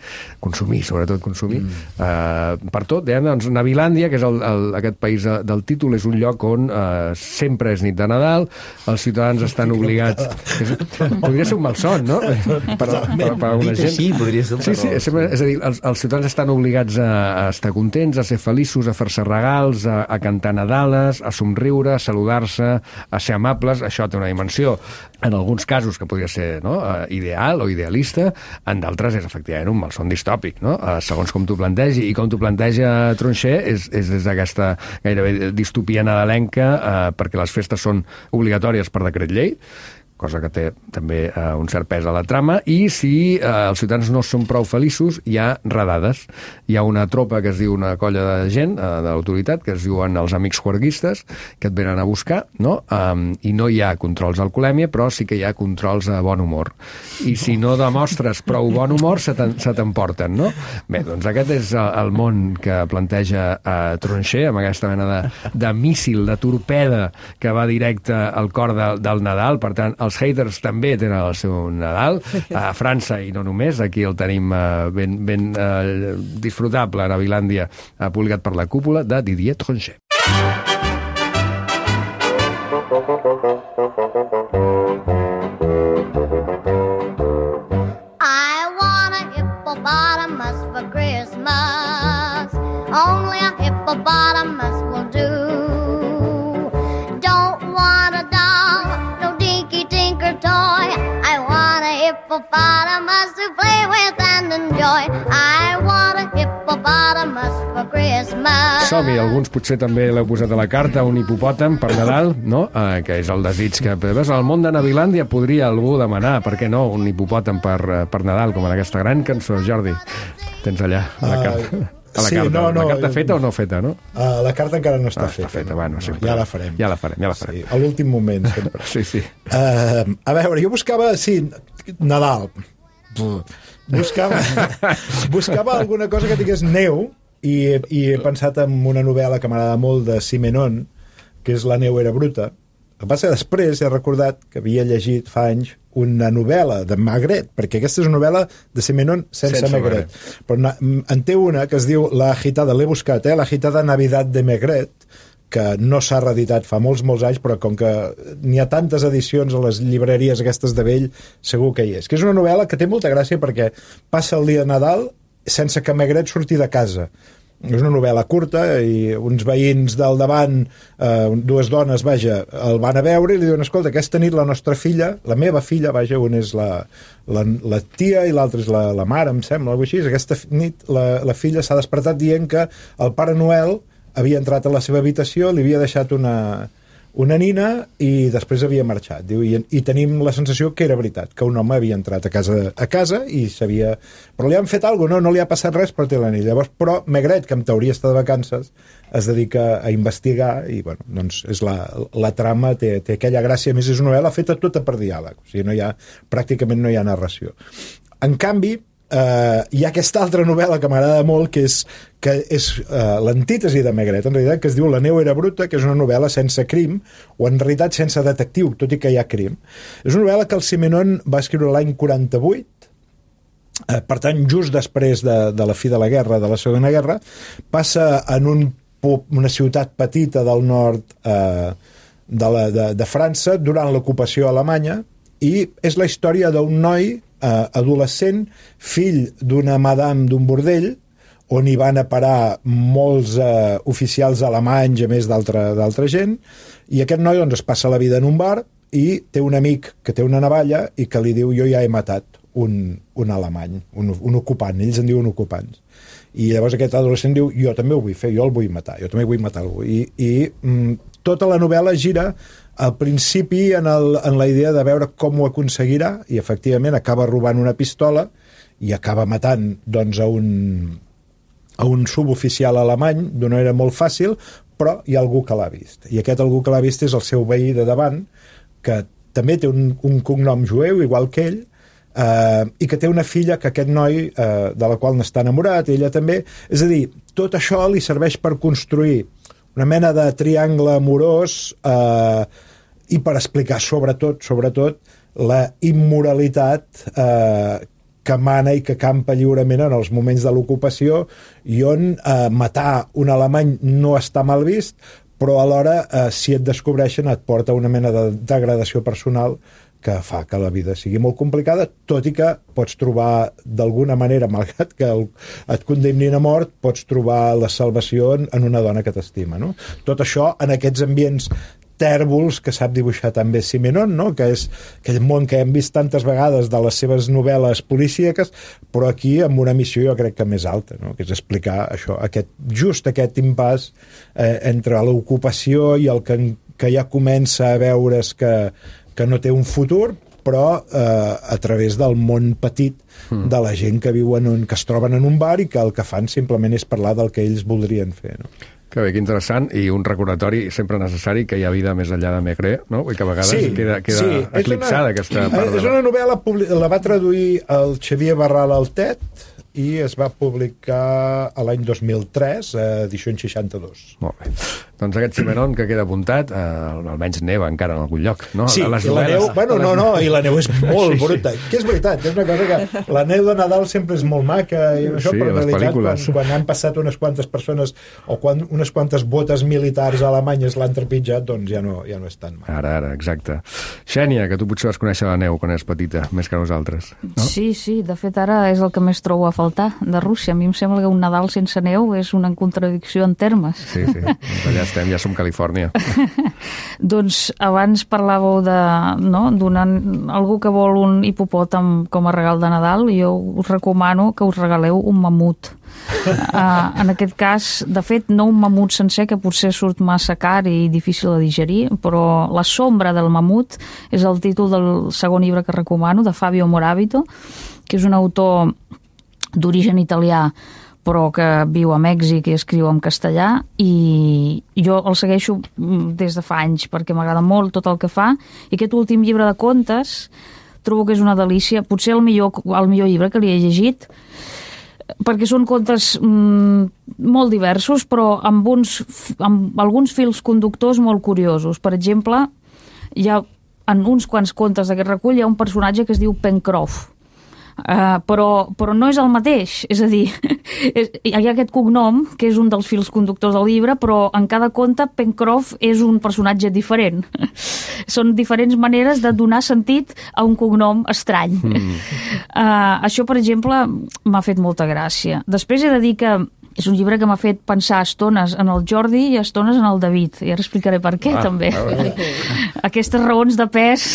consumir, sobretot consumir, mm. uh, per tot. Dèiem, doncs, Navilàndia, que és el, el, aquest país del títol, és un lloc on uh, sempre és nit de Nadal, els ciutadans estan obligats... És, podria ser un malson, no? Per, per, per, per alguna gent. Sí, podria ser un sí, sí, és, és a dir, els, els ciutadans estan obligats a, a estar contents, a ser feliços, a fer-se regals, a, a cantar Nadales, a somriure, a saludar-se, a ser amables. Això té una dimensió, en alguns casos, que podria ser, no?, ideal o idealista, en d'altres és efectivament un malson distòpic, no? Segons com t'ho plantegi, i com t'ho planteja Tronchet és, és des d'aquesta gairebé distopia nadalenca, eh, perquè les festes són obligatòries per decret llei, cosa que té també eh, un cert pes a la trama, i si eh, els ciutadans no són prou feliços, hi ha redades. Hi ha una tropa que es diu, una colla de gent, eh, de l'autoritat, que es diuen els amics juerguistes, que et venen a buscar, no? Um, i no hi ha controls d'alcoholèmia, però sí que hi ha controls de bon humor. I si no demostres prou bon humor, se t'emporten, no? Bé, doncs aquest és el món que planteja eh, Tronchet, amb aquesta mena de, de míssil, de torpeda, que va directe al cor de, del Nadal. Per tant, els haters també tenen el seu Nadal, a França i no només, aquí el tenim uh, ben, ben uh, disfrutable, a Navilàndia, uh, publicat per la Cúpula, de Didier Tronchet. I want a hippopotamus for Christmas, only a hippopotamus will do. Don't want a doll, toy. I want a hippopotamus to play with and enjoy. I want a hippopotamus for Christmas. Som-hi, alguns potser també l'heu posat a la carta, un hipopòtam per Nadal, no? Eh, que és el desig que... Veus, al món de Navilàndia podria algú demanar, per què no, un hipopòtam per, per Nadal, com en aquesta gran cançó. Jordi, tens allà a la carta. Uh, A la sí, carta, no, no, la carta feta o no feta, no? Uh, la carta encara no està ah, feta. Està feta, no, bueno, no, sempre. ja la farem. Ja la farem, ja la farem. Sí, a l'últim moment, sempre. sí, sí. Uh, a veure, jo buscava, sí, Nadal. Buscava, buscava alguna cosa que tingués neu i, i he pensat en una novel·la que m'agrada molt de Simenon, que és La neu era bruta. El que passa que després he recordat que havia llegit fa anys una novel·la de Maigret, perquè aquesta és una novel·la de Simenon sense, sense Maigret. Però na, en té una que es diu La agitada, l'he buscat, eh? La agitada Navidad de Maigret, que no s'ha reeditat fa molts, molts anys, però com que n'hi ha tantes edicions a les llibreries aquestes de vell, segur que hi és. Que és una novel·la que té molta gràcia perquè passa el dia de Nadal sense que Maigret surti de casa. És una novel·la curta i uns veïns del davant, eh, dues dones, vaja, el van a veure i li diuen, escolta, aquesta nit la nostra filla, la meva filla, vaja, una és la, la, la tia i l'altra és la, la mare, em sembla, alguna cosa així. Aquesta nit la, la filla s'ha despertat dient que el Pare Noel havia entrat a la seva habitació, li havia deixat una, una nina i després havia marxat. Diu, i, i tenim la sensació que era veritat, que un home havia entrat a casa, a casa i sabia... Però li han fet alguna cosa, no, no li ha passat res, però té la nina. Llavors, però Maigret, que en teoria està de vacances, es dedica a investigar i, bueno, doncs és la, la trama, té, té aquella gràcia, a més és una novel·la feta tota per diàleg, o sigui, no hi ha, pràcticament no hi ha narració. En canvi, Uh, hi ha aquesta altra novel·la que m'agrada molt, que és, que és uh, l'antítesi de Maigret, en realitat, que es diu La neu era bruta, que és una novel·la sense crim, o en realitat sense detectiu, tot i que hi ha crim. És una novel·la que el Simenon va escriure l'any quaranta-vuit, uh, per tant, just després de, de la fi de la guerra, de la Segona Guerra, passa en un, una ciutat petita del nord uh, de, la, de, de França durant l'ocupació alemanya, i és la història d'un noi Uh, adolescent, fill d'una madame d'un bordell, on hi van a parar molts uh, oficials alemanys, a més d'altra d'altra gent, i aquest noi doncs, es passa la vida en un bar i té un amic que té una navalla i que li diu, jo ja he matat un, un alemany, un, un ocupant, ells en diuen ocupants. I llavors aquest adolescent diu, jo també ho vull fer, jo el vull matar, jo també vull matar algú. I, i mm, tota la novel·la gira al principi en, el, en la idea de veure com ho aconseguirà, i efectivament acaba robant una pistola i acaba matant doncs, a, un, a un suboficial alemany d'una manera molt fàcil, però hi ha algú que l'ha vist. I aquest algú que l'ha vist és el seu veí de davant, que també té un, un cognom jueu, igual que ell, eh, i que té una filla que aquest noi, eh, de la qual n'està enamorat, ella també. És a dir, tot això li serveix per construir una mena de triangle amorós eh, i per explicar sobretot, sobretot la immoralitat eh, que mana i que campa lliurement en els moments de l'ocupació i on eh, matar un alemany no està mal vist, però alhora eh, si et descobreixen et porta una mena de degradació personal que fa que la vida sigui molt complicada, tot i que pots trobar d'alguna manera, malgrat que el, et condemnin a mort, pots trobar la salvació en, en una dona que t'estima, no? Tot això en aquests ambients tèrbols que sap dibuixar també Simenon, no? Que és aquell món que hem vist tantes vegades de les seves novel·les policíaques, però aquí amb una missió jo crec que més alta, no? Que és explicar això, aquest, just aquest impàs eh, entre l'ocupació i el que, que ja comença a veure's que que no té un futur, però eh, a través del món petit de la gent que viuen, en, que es troben en un bar i que el que fan simplement és parlar del que ells voldrien fer, no? Que bé, que interessant, i un recordatori sempre necessari que hi ha vida més enllà de Maigret, no? I que a vegades sí, queda, queda sí. eclipsada una, aquesta part. És una novel·la, la va traduir el Xavier Barral Altet i es va publicar a l'any dos mil tres, a edicions seixanta-dos. Molt bé. Doncs aquest Simenon que queda apuntat, eh, almenys neva encara en algun lloc, no? Sí, les i la neu, bueno, no, no, i la neu és molt sí, bruta. Sí. Que és veritat, és una cosa que la neu de Nadal sempre és molt maca, i això, sí, però en realitat, pel·lícules. quan, quan han passat unes quantes persones o quan unes quantes botes militars alemanyes l'han trepitjat, doncs ja no, ja no és tan mal. Ara, ara, exacte. Xènia, que tu potser vas conèixer la neu quan eres petita, més que nosaltres, no? Sí, sí, de fet ara és el que més trobo a faltar de Rússia. A mi em sembla que un Nadal sense neu és una contradicció en termes. Sí, sí, doncs allà estem, ja som Califòrnia. Doncs abans parlàveu de, no, donant algú que vol un hipopòtam com a regal de Nadal, jo us recomano que us regaleu un mamut. Uh, en aquest cas, de fet, no un mamut sencer, que potser surt massa car i difícil de digerir, però La sombra del mamut és el títol del segon llibre que recomano, de Fabio Moravito, que és un autor d'origen italià, però que viu a Mèxic i escriu en castellà, i jo el segueixo des de fa anys perquè m'agrada molt tot el que fa, i aquest últim llibre de contes trobo que és una delícia, potser el millor, el millor llibre que li he llegit, perquè són contes mm, molt diversos, però amb, uns, amb alguns fils conductors molt curiosos. Per exemple, hi ha, en uns quants contes d'aquest recull hi ha un personatge que es diu Pencroft, uh, però, però no és el mateix, és a dir, és, hi ha aquest cognom, que és un dels fils conductors del llibre, però en cada conte Pencroft és un personatge diferent. Són diferents maneres de donar sentit a un cognom estrany. Mm. Uh, això, per exemple, m'ha fet molta gràcia. Després he de dir que és un llibre que m'ha fet pensar estones en el Jordi i estones en el David. I ara explicaré per què, ah, també. Ah, aquestes raons de pes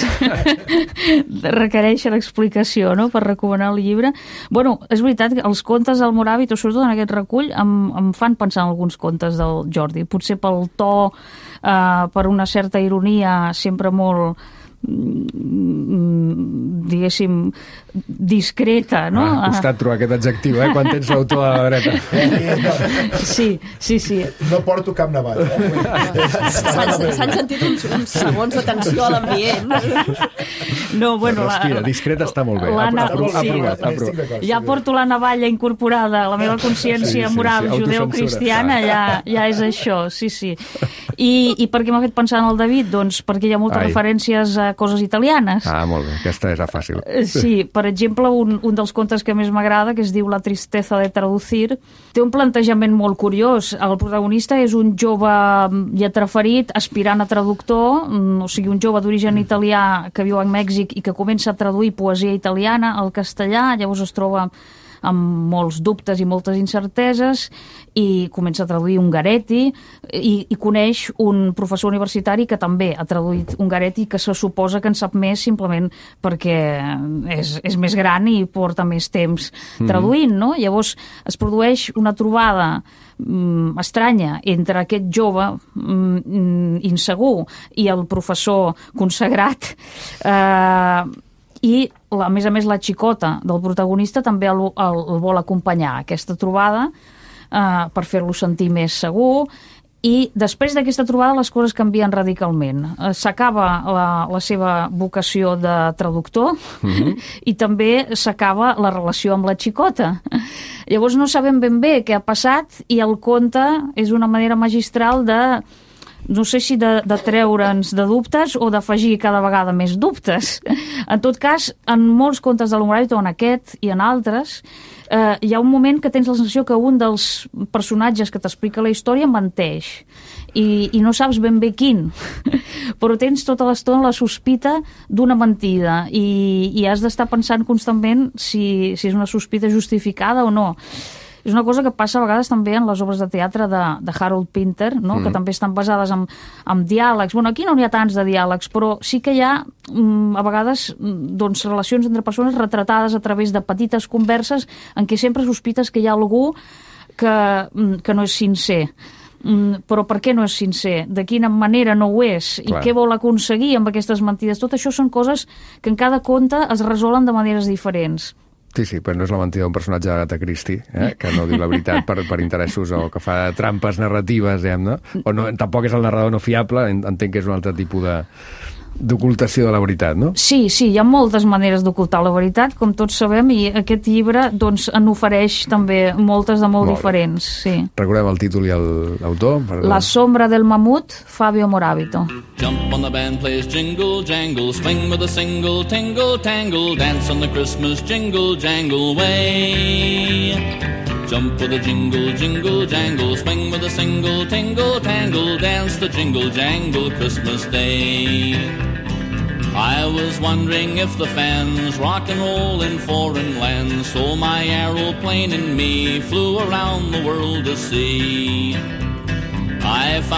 requereixen explicació, no?, per recomanar el llibre. Bueno, és veritat que els contes del Moràvit, o sobretot en aquest recull, em, em fan pensar en alguns contes del Jordi. Potser pel to, eh, per una certa ironia, sempre molt diguéssim discreta, no? Ah, ha costat trobar aquest adjectiu, eh? Quan tens l'autor a la dreta. Sí, sí, sí. No porto cap navall, eh? S'han sentit uns, uns segons de tensió a l'ambient. No, bueno... Respira, la, discreta està molt bé. Ha, ha, provat, ha provat, ha provat. Ja porto la navalla incorporada a la meva consciència sí, sí, moral sí, judeu-cristiana, ja, ja és això, sí, sí. I, i per què m'ha fet pensar en el David? Doncs perquè hi ha moltes Ai. referències a coses italianes. Ah, molt bé, aquesta era fàcil. Sí, per exemple, un, un dels contes que més m'agrada, que es diu La tristeza de traducir, té un plantejament molt curiós. El protagonista és un jove lletraferit, aspirant a traductor, o sigui, un jove d'origen italià que viu a Mèxic i que comença a traduir poesia italiana al castellà, llavors es troba amb molts dubtes i moltes incerteses i comença a traduir Ungaretti i, i coneix un professor universitari que també ha traduït Ungaretti, que se suposa que en sap més simplement perquè és, és més gran i porta més temps traduint, no? Llavors es produeix una trobada mm, estranya entre aquest jove mm, insegur i el professor consagrat, eh, i a més a més la xicota del protagonista també el, el, el vol acompanyar a aquesta trobada eh, per fer-lo sentir més segur, i després d'aquesta trobada les coses canvien radicalment. Eh, s'acaba la, la seva vocació de traductor mm-hmm. i també s'acaba la relació amb la xicota. Llavors no sabem ben bé què ha passat i el conte és una manera magistral de no sé si de, de treure'ns de dubtes o d'afegir cada vegada més dubtes. En tot cas, en molts contes de l'Homoràvit, o en aquest i en altres, eh, hi ha un moment que tens la sensació que un dels personatges que t'explica la història menteix i, i no saps ben bé quin, però tens tota l'estona la sospita d'una mentida i, i has d'estar pensant constantment si, si és una sospita justificada o no. És una cosa que passa a vegades també en les obres de teatre de, de Harold Pinter, no? Mm. que també estan basades en, en diàlegs. Bueno, aquí no n'hi ha tants de diàlegs, però sí que hi ha mm, a vegades doncs, relacions entre persones retratades a través de petites converses en què sempre sospites que hi ha algú que, que no és sincer. Mm, però per què no és sincer? De quina manera no ho és? I Clar. Què vol aconseguir amb aquestes mentides? Tot això són coses que en cada conte es resolen de maneres diferents. Sí, sí, però no és la mentida d'un personatge d'Agatha Christie, eh? que no diu la veritat per, per interessos o que fa trampes narratives, diguem, no? O no, tampoc és el narrador no fiable, entenc que és un altre tipus de d'ocultació de la veritat, no? Sí, sí, hi ha moltes maneres d'ocultar la veritat, com tots sabem, i aquest llibre doncs, en ofereix també moltes de molt, molt diferents. Sí. Recordem el títol i l'autor? Per... La sombra del mamut, Fabio Moravito. Jump on the band plays jingle jangle, swing with a single tingle tangle, dance on the Christmas jingle jangle way. Jump with a jingle, jingle, jangle, swing with a single, tingle, tangle, dance the jingle, jangle, Christmas Day. I was wondering if the fans rock and roll in foreign lands, so my aeroplane and me flew around the world to see.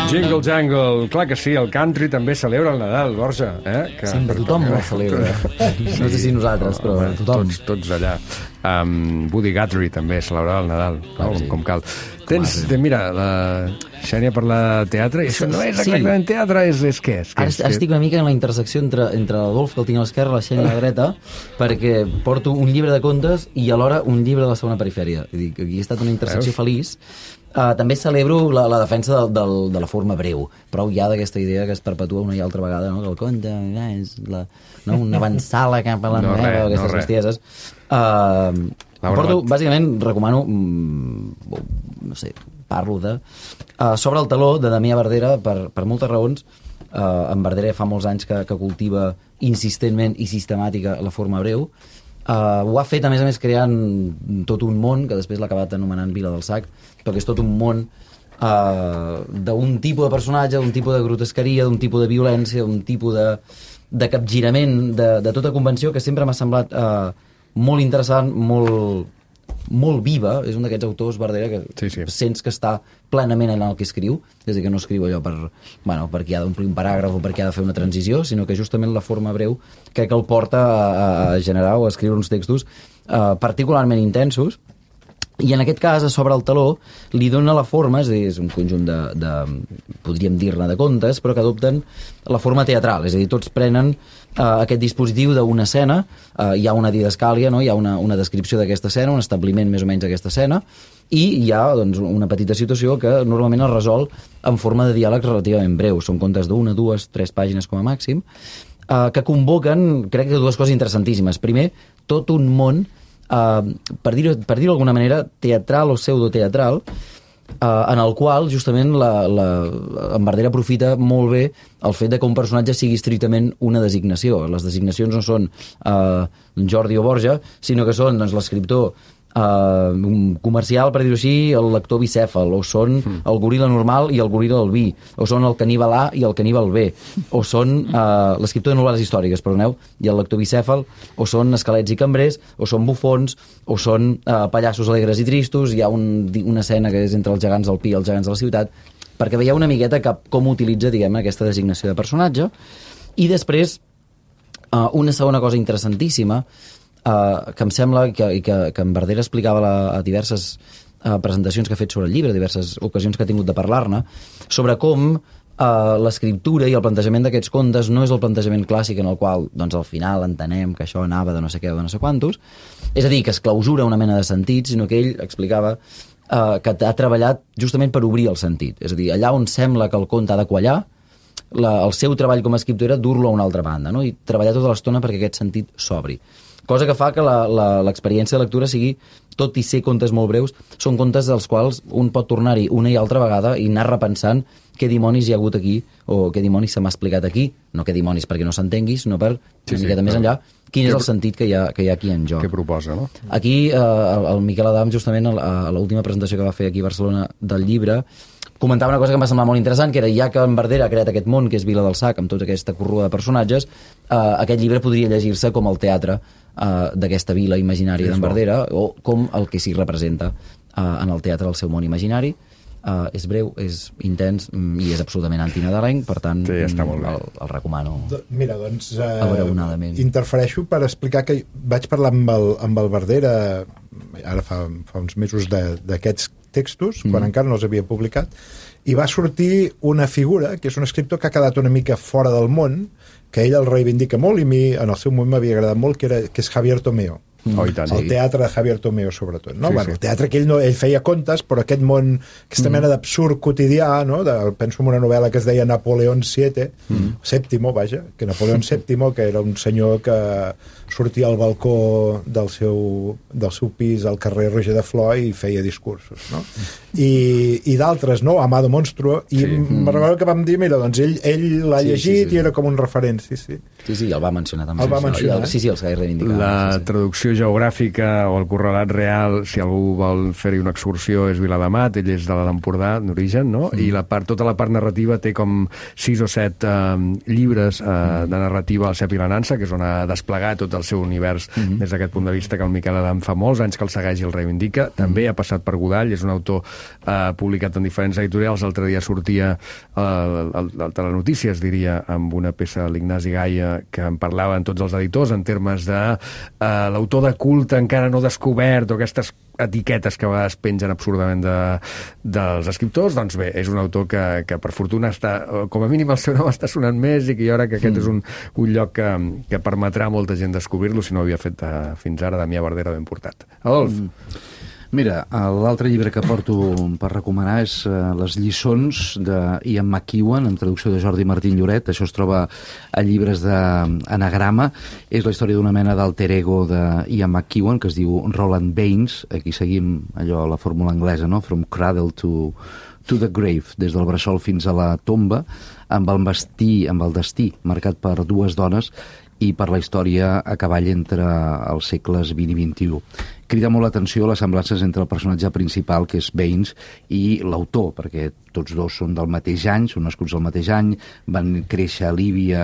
Jingle Jangle, clar que sí, el country també celebra el Nadal, Borja. Eh? Que, Sempre tothom ho celebra. No sé si nosaltres, però home, tothom. Tots, tots allà. Um, Woody Guthrie també celebrava el Nadal, no? com, com cal. Tens, de, mira, la Xènia parla de teatre, i això no és exactament sí. teatre, és, és què? És, Ara, és, ara estic una mica en la intersecció entre, entre l'Adolf, que el tinc a l'esquerra, la Xènia a la dreta, perquè porto un llibre de contes i alhora un llibre de la segona perifèria. Vull dir, aquí ha estat una intersecció Veus? feliç. Uh, també celebro la, la defensa del, del, de la forma breu. Prou ja d'aquesta idea que es perpetua una i altra vegada, no? Que el conte eh, és la, no? una avançala cap a la no novel·la, res, aquestes no bestieses. Uh, porto, bàsicament, recomano, mm, no sé, parlo de... Uh, sobre el taló de Damià Verdera, per, per moltes raons. Uh, en Verdera fa molts anys que, que cultiva insistentment i sistemàtica la forma breu. Uh, ho ha fet, a més a més, creant tot un món, que després l'ha acabat anomenant Vila del Sac, però que és tot un món uh, d'un tipus de personatge, d'un tipus de grotesqueria, d'un tipus de violència, d'un tipus de, de capgirament de, de tota convenció, que sempre m'ha semblat uh, molt interessant, molt, molt viva. És un d'aquests autors, Verdera, que sí, sí. sents que està plenament en el que escriu, és a dir, que no escriu allò per, bueno, perquè ha d'omplir un paràgraf o perquè ha de fer una transició, sinó que justament la forma breu crec que el porta a, a generar o a escriure uns textos uh, particularment intensos. I en aquest cas, a sobre el taló, li dona la forma, és a dir, és un conjunt de, de podríem dir-ne, de contes, però que adopten la forma teatral, és a dir, tots prenen uh, aquest dispositiu d'una escena, uh, hi ha una didascàlia, no? Hi ha una, una descripció d'aquesta escena, un establiment més o menys d'aquesta escena, i hi ha doncs, una petita situació que normalment es resol en forma de diàleg relativament breu. Són contes d'una, dues, tres pàgines com a màxim, uh, que convoquen, crec que dues coses interessantíssimes. Primer, tot un món Uh, per dir-ho per dir d'alguna manera teatral o pseudoteatral uh, en el qual justament la, la, en Verdera aprofita molt bé el fet de que un personatge sigui estrictament una designació. Les designacions no són uh, Jordi o Borja, sinó que són doncs, l'escriptor Uh, un comercial, per dir-ho així, el lector bicèfal, o són mm. el goril·la normal i el goril·la albí, o són el caníbal A i el caníbal B, o són uh, l'escriptor de novel·les històriques, perdoneu, i el lector bicèfal, o són esquelets i cambrers, o són bufons, o són uh, pallassos alegres i tristos. Hi ha un, una escena que és entre els gegants del Pi i els gegants de la ciutat, perquè veieu una miqueta que, com utilitza, diguem, aquesta designació de personatge. I després, uh, una segona cosa interessantíssima, Uh, que em sembla que, que, que en Verdera explicava la, a diverses uh, presentacions que ha fet sobre el llibre, diverses ocasions que ha tingut de parlar-ne, sobre com uh, l'escriptura i el plantejament d'aquests contes no és el plantejament clàssic en el qual doncs, al final entenem que això anava de no sé què o de no sé quantos, és a dir, que es clausura una mena de sentit, sinó que ell explicava uh, que ha treballat justament per obrir el sentit. És a dir, allà on sembla que el conte ha de quallar, la, el seu treball com a escriptor era dur-lo a una altra banda, no? I treballar tota l'estona perquè aquest sentit s'obri. Cosa que fa que l'experiència de lectura sigui, tot i ser contes molt breus, són contes dels quals un pot tornar-hi una i altra vegada i anar repensant què dimonis hi ha hagut aquí o què dimonis se m'ha explicat aquí. No què dimonis perquè no s'entengui, sinó per sí, una miqueta sí, més enllà quin és el sentit que hi ha, que hi ha aquí en joc. Què proposa, no? Aquí eh, el Miquel Adam, justament a l'última presentació que va fer aquí a Barcelona del llibre, comentava una cosa que em va semblar molt interessant, que era, ja que en Verdera ha creat aquest món que és Vila del Sac, amb tota aquesta corrua de personatges, eh, aquest llibre podria llegir-se com el teatre eh, d'aquesta vila imaginària sí, d'en Verdera, o com el que s'hi representa eh, en el teatre del seu món imaginari. Uh, és breu, és intens i és absolutament antinadalenc, per tant sí, està molt bé. el, el recomano. Mira, doncs uh, interfereixo per explicar que vaig parlar amb el, amb el Verdera ara fa, fa uns mesos d'aquests textos, mm. quan encara no els havia publicat, i va sortir una figura que és un escriptor que ha quedat una mica fora del món, que ell el reivindica molt i a mi en el seu moment m'havia agradat molt, que, era, que és Javier Tomeo. Oh, tant, el sí. teatre de Javier Tomeo, sobretot. No? Sí, bueno, sí. El teatre que ell, no, ell feia contes, però aquest món, aquesta mm. mena d'absurd quotidià, no? de, penso en una novel·la que es deia Napoleón siete, mm. Sèptimo, vaja, que Napoleón Sèptimo, que era un senyor que sortia al balcó del seu, del seu pis al carrer Roger de Flor i feia discursos. No? I, i d'altres, no? Amado Monstruo, i sí. me'n recordo que vam dir, mira, doncs ell, ell l'ha sí, llegit sí, sí. i era com un referent, sí, sí. Sí, sí, el va mencionar també. El va mencionar. Sí, sí, els que he reivindicat. La sí, sí. traducció geogràfica o el correlat real, si algú vol fer-hi una excursió, és Viladamat, ell és de l'Empordà d'origen, no? Mm. I la part, tota la part narrativa té com sis o set eh, llibres eh, mm. de narrativa al Cep i la Nansa, que és on ha desplegat tot el seu univers mm. des d'aquest punt de vista, que el Miquel Adam fa molts anys que el segueix i el reivindica. També mm. ha passat per Godall, és un autor eh, publicat en diferents editorials. L'altre dia sortia el, el, el Telenotícies, diria, amb una peça de l'Ignasi Gaia que en parlaven tots els editors en termes de eh, l'autor de culte encara no descobert o aquestes etiquetes que a vegades pengen absurdament de, dels escriptors, doncs bé, és un autor que, que per fortuna està, com a mínim el seu nom està sonant més i que jo crec que aquest mm. és un, un lloc que, que permetrà a molta gent descobrir-lo si no ho havia fet uh, fins ara Damià Verdera ben portat. Adolf. Mm. Mira, l'altre llibre que porto per recomanar és uh, Les lliçons d'Ian McEwan, en traducció de Jordi Martín Lloret. Això es troba a llibres d'anagrama. És la història d'una mena d'alter ego d'Ian McEwan, que es diu Roland Baines. Aquí seguim allò, la fórmula anglesa, no? From cradle to, to the grave, des del bressol fins a la tomba, amb el, destí, amb el destí marcat per dues dones i per la història a cavall entre els segles vint i vint-i-u. Crida molt l'atenció les semblances entre el personatge principal, que és Baines, i l'autor, perquè tots dos són del mateix any, són nascuts al mateix any, van créixer a Líbia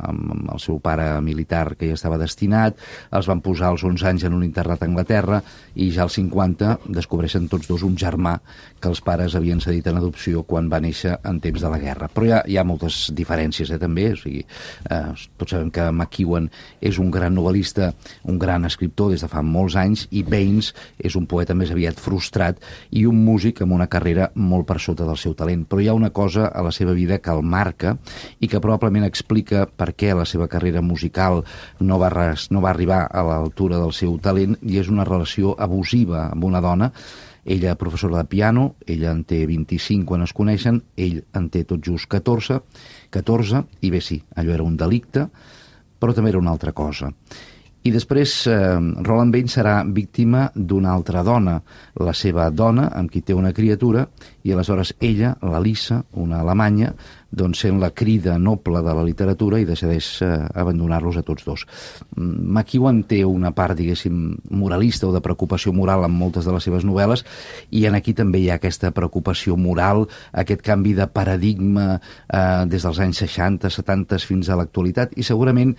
amb el seu pare militar que ja estava destinat, els van posar als onze anys en un internat a Anglaterra i ja als cinquanta descobreixen tots dos un germà que els pares havien cedit en adopció quan va néixer en temps de la guerra. Però hi ha, hi ha moltes diferències, eh, també. O sigui, eh, tots sabem que McEwan és un gran novel·lista, un gran escriptor des de fa molts anys, i Baines és un poeta més aviat frustrat i un músic amb una carrera molt per sota del seu talent. Però hi ha una cosa a la seva vida que el marca i que probablement explica per què la seva carrera musical no va, res, no va arribar a l'altura del seu talent, i és una relació abusiva amb una dona. Ella professora de piano, ella en té vint-i-cinc quan es coneixen, ell en té tot just catorze, catorze, i bé, sí, allò era un delicte, però també era una altra cosa. I després eh, Roland Baines serà víctima d'una altra dona, la seva dona, amb qui té una criatura, i aleshores ella, la Lisa, una alemanya, doncs sent la crida noble de la literatura i decideix eh, abandonar-los a tots dos. McEwan té una part, diguéssim, moralista o de preocupació moral en moltes de les seves novel·les, i en aquí també hi ha aquesta preocupació moral, aquest canvi de paradigma eh, des dels anys seixanta, setanta fins a l'actualitat, i segurament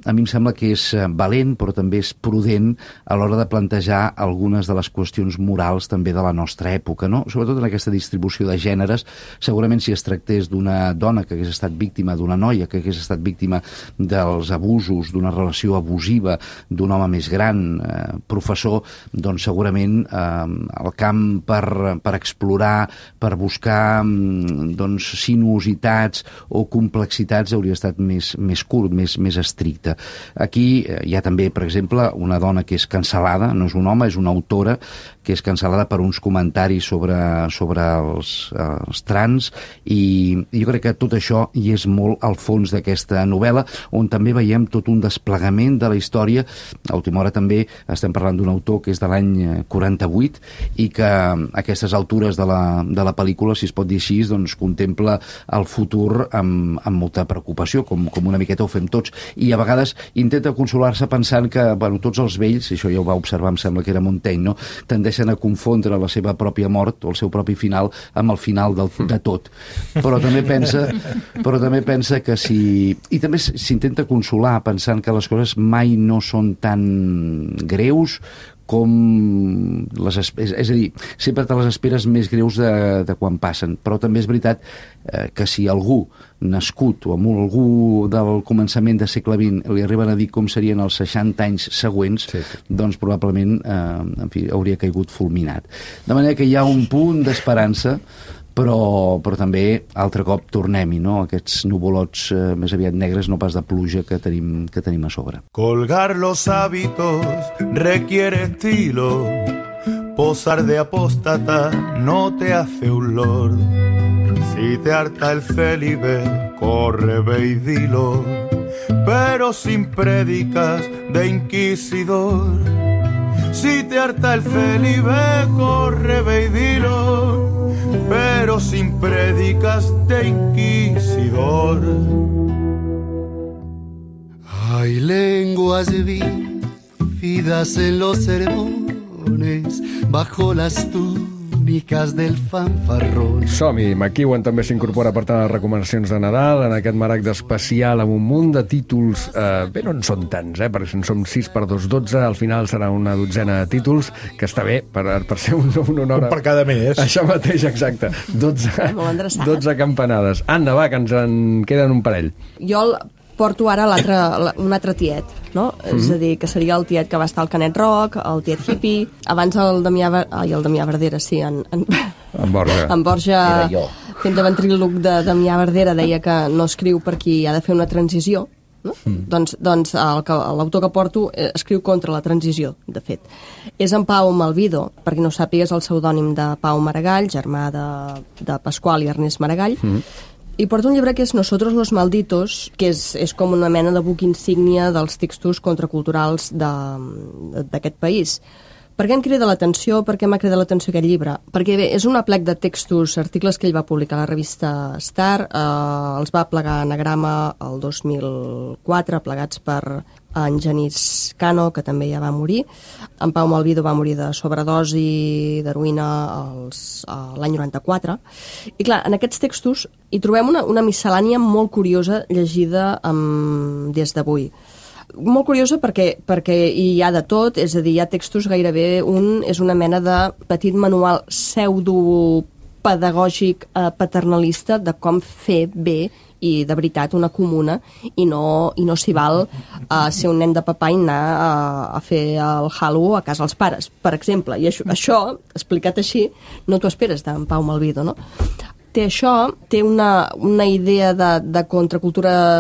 a mi em sembla que és valent, però també és prudent a l'hora de plantejar algunes de les qüestions morals també de la nostra època, no? Sobretot en aquesta distribució de gèneres. Segurament si es tractés d'una dona que hagués estat víctima, d'una noia que hagués estat víctima dels abusos, d'una relació abusiva, d'un home més gran, eh, professor, doncs segurament eh, el camp per, per explorar, per buscar doncs, sinuositats o complexitats hauria estat més, més curt, més, més estricte. Aquí hi ha també, per exemple, una dona que és cancel·lada, no és un home, és una autora que és cancel·lada per uns comentaris sobre, sobre els, els trans, i jo crec que tot això hi és molt al fons d'aquesta novel·la, on també veiem tot un desplegament de la història. A última hora també estem parlant d'un autor que és de l'any quaranta-vuit i que a aquestes altures de la, de la pel·lícula, si es pot dir així, doncs contempla el futur amb, amb molta preocupació, com, com una miqueta ho fem tots, i a vegades intenta consolar-se pensant que, bueno, tots els vells, i això ja ho va observar, em sembla que era Montaigne, no? Tendeixen a confondre la seva pròpia mort o el seu propi final amb el final del, de tot. Però també pensa, però també pensa que si... I també s'intenta consolar pensant que les coses mai no són tan greus com les, és, és a dir, sempre te les esperes més greus de, de quan passen, però també és veritat eh, que si algú nascut o amb algú del començament del segle vint li arriben a dir com serien els seixanta anys següents, sí, sí. doncs probablement eh, en fi, hauria caigut fulminat. De manera que hi ha un punt d'esperança, però, però també altre cop tornem-hi, no? Aquests nuvolots eh, més aviat negres, no pas de pluja que tenim, que tenim a sobre. Colgar los hábitos requiere estilo, posar de apóstata no te hace un lord. Si te harta el célibe, corre, ve y dilo, pero sin prédicas de inquisidor. Si te harta el célibe, corre, ve y dilo, pero sin prédicas de inquisidor. Hay lenguas vividas en los sermones bajo las túnicas del fanfarrón. Som-hi, McEwan també s'incorpora per tant a les recomanacions de Nadal en aquest maragd especial amb un munt de títols, eh, bé, no en són tants, eh, perquè si en som sis per dos, dotze, al final serà una dotzena de títols, que està bé per, per ser un, una hora... Un per cada mes. Això mateix, exacte. dotze, dotze campanades. Anna, va, que ens en queden un parell. Jo, porto ara l'altre, un altre tiet, no? Mm-hmm. És a dir, que seria el tiet que va estar al Canet Rock, el tiet hippie, abans el Damià, ai, el Damià Verdera, sí, en, en, en Borja, en Borja fent de ventríloc de Damià Verdera, deia que no escriu per qui ha de fer una transició, no? Mm. Doncs, doncs l'autor que porto escriu contra la transició, de fet. És en Pau Malvido, perquè no ho sàpigues, el pseudònim de Pau Maragall, germà de, de Pasqual i Ernest Maragall, mm. i porta un llibre que és Nosotros los Malditos, que és, és com una mena de buc insígnia dels textos contraculturals d'aquest país. Per què em crida l'atenció? Per què m'ha cridat l'atenció aquest llibre? Perquè bé, és un aplec de textos, articles que ell va publicar a la revista Star, eh, els va plegar Anagrama el dos mil quatre, plegats per en Genís Cano, que també ja va morir. En Pau Malvido va morir de sobredosi d'heroïna l'any noranta-quatre. I clar, en aquests textos hi trobem una, una miscel·lània molt curiosa llegida amb, des d'avui. Molt curiosa perquè, perquè hi ha de tot, és a dir, hi ha textos gairebé, un és una mena de petit manual pseudo-pedagògic eh, paternalista de com fer bé i de veritat una comuna i no, i no s'hi val a ser un nen de papà i anar a, a fer el halo a casa dels pares, per exemple. I això, això explicat així, no t'ho esperes d'en Pau Malvido, no? Té això, té una, una idea de, de contracultura,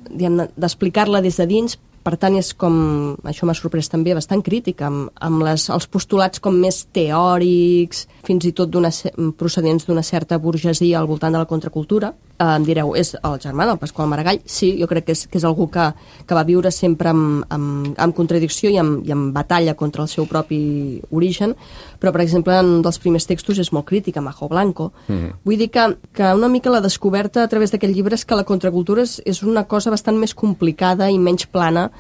diguem, d'explicar-la des de dins, per tant és com, això m'ha sorprès també, bastant crítica, amb, amb les, els postulats com més teòrics, fins i tot procedents d'una certa burgesia al voltant de la contracultura. Eh, em direu, és el germà del Pasqual Maragall? Sí, jo crec que és, que és algú que, que va viure sempre amb, amb, amb contradicció i amb, i amb batalla contra el seu propi origen, però, per exemple, en un dels primers textos és molt crític, amb Majo Blanco. Mm. Vull dir que, que una mica la descoberta a través d'aquest llibre és que la contracultura és, és una cosa bastant més complicada i menys plana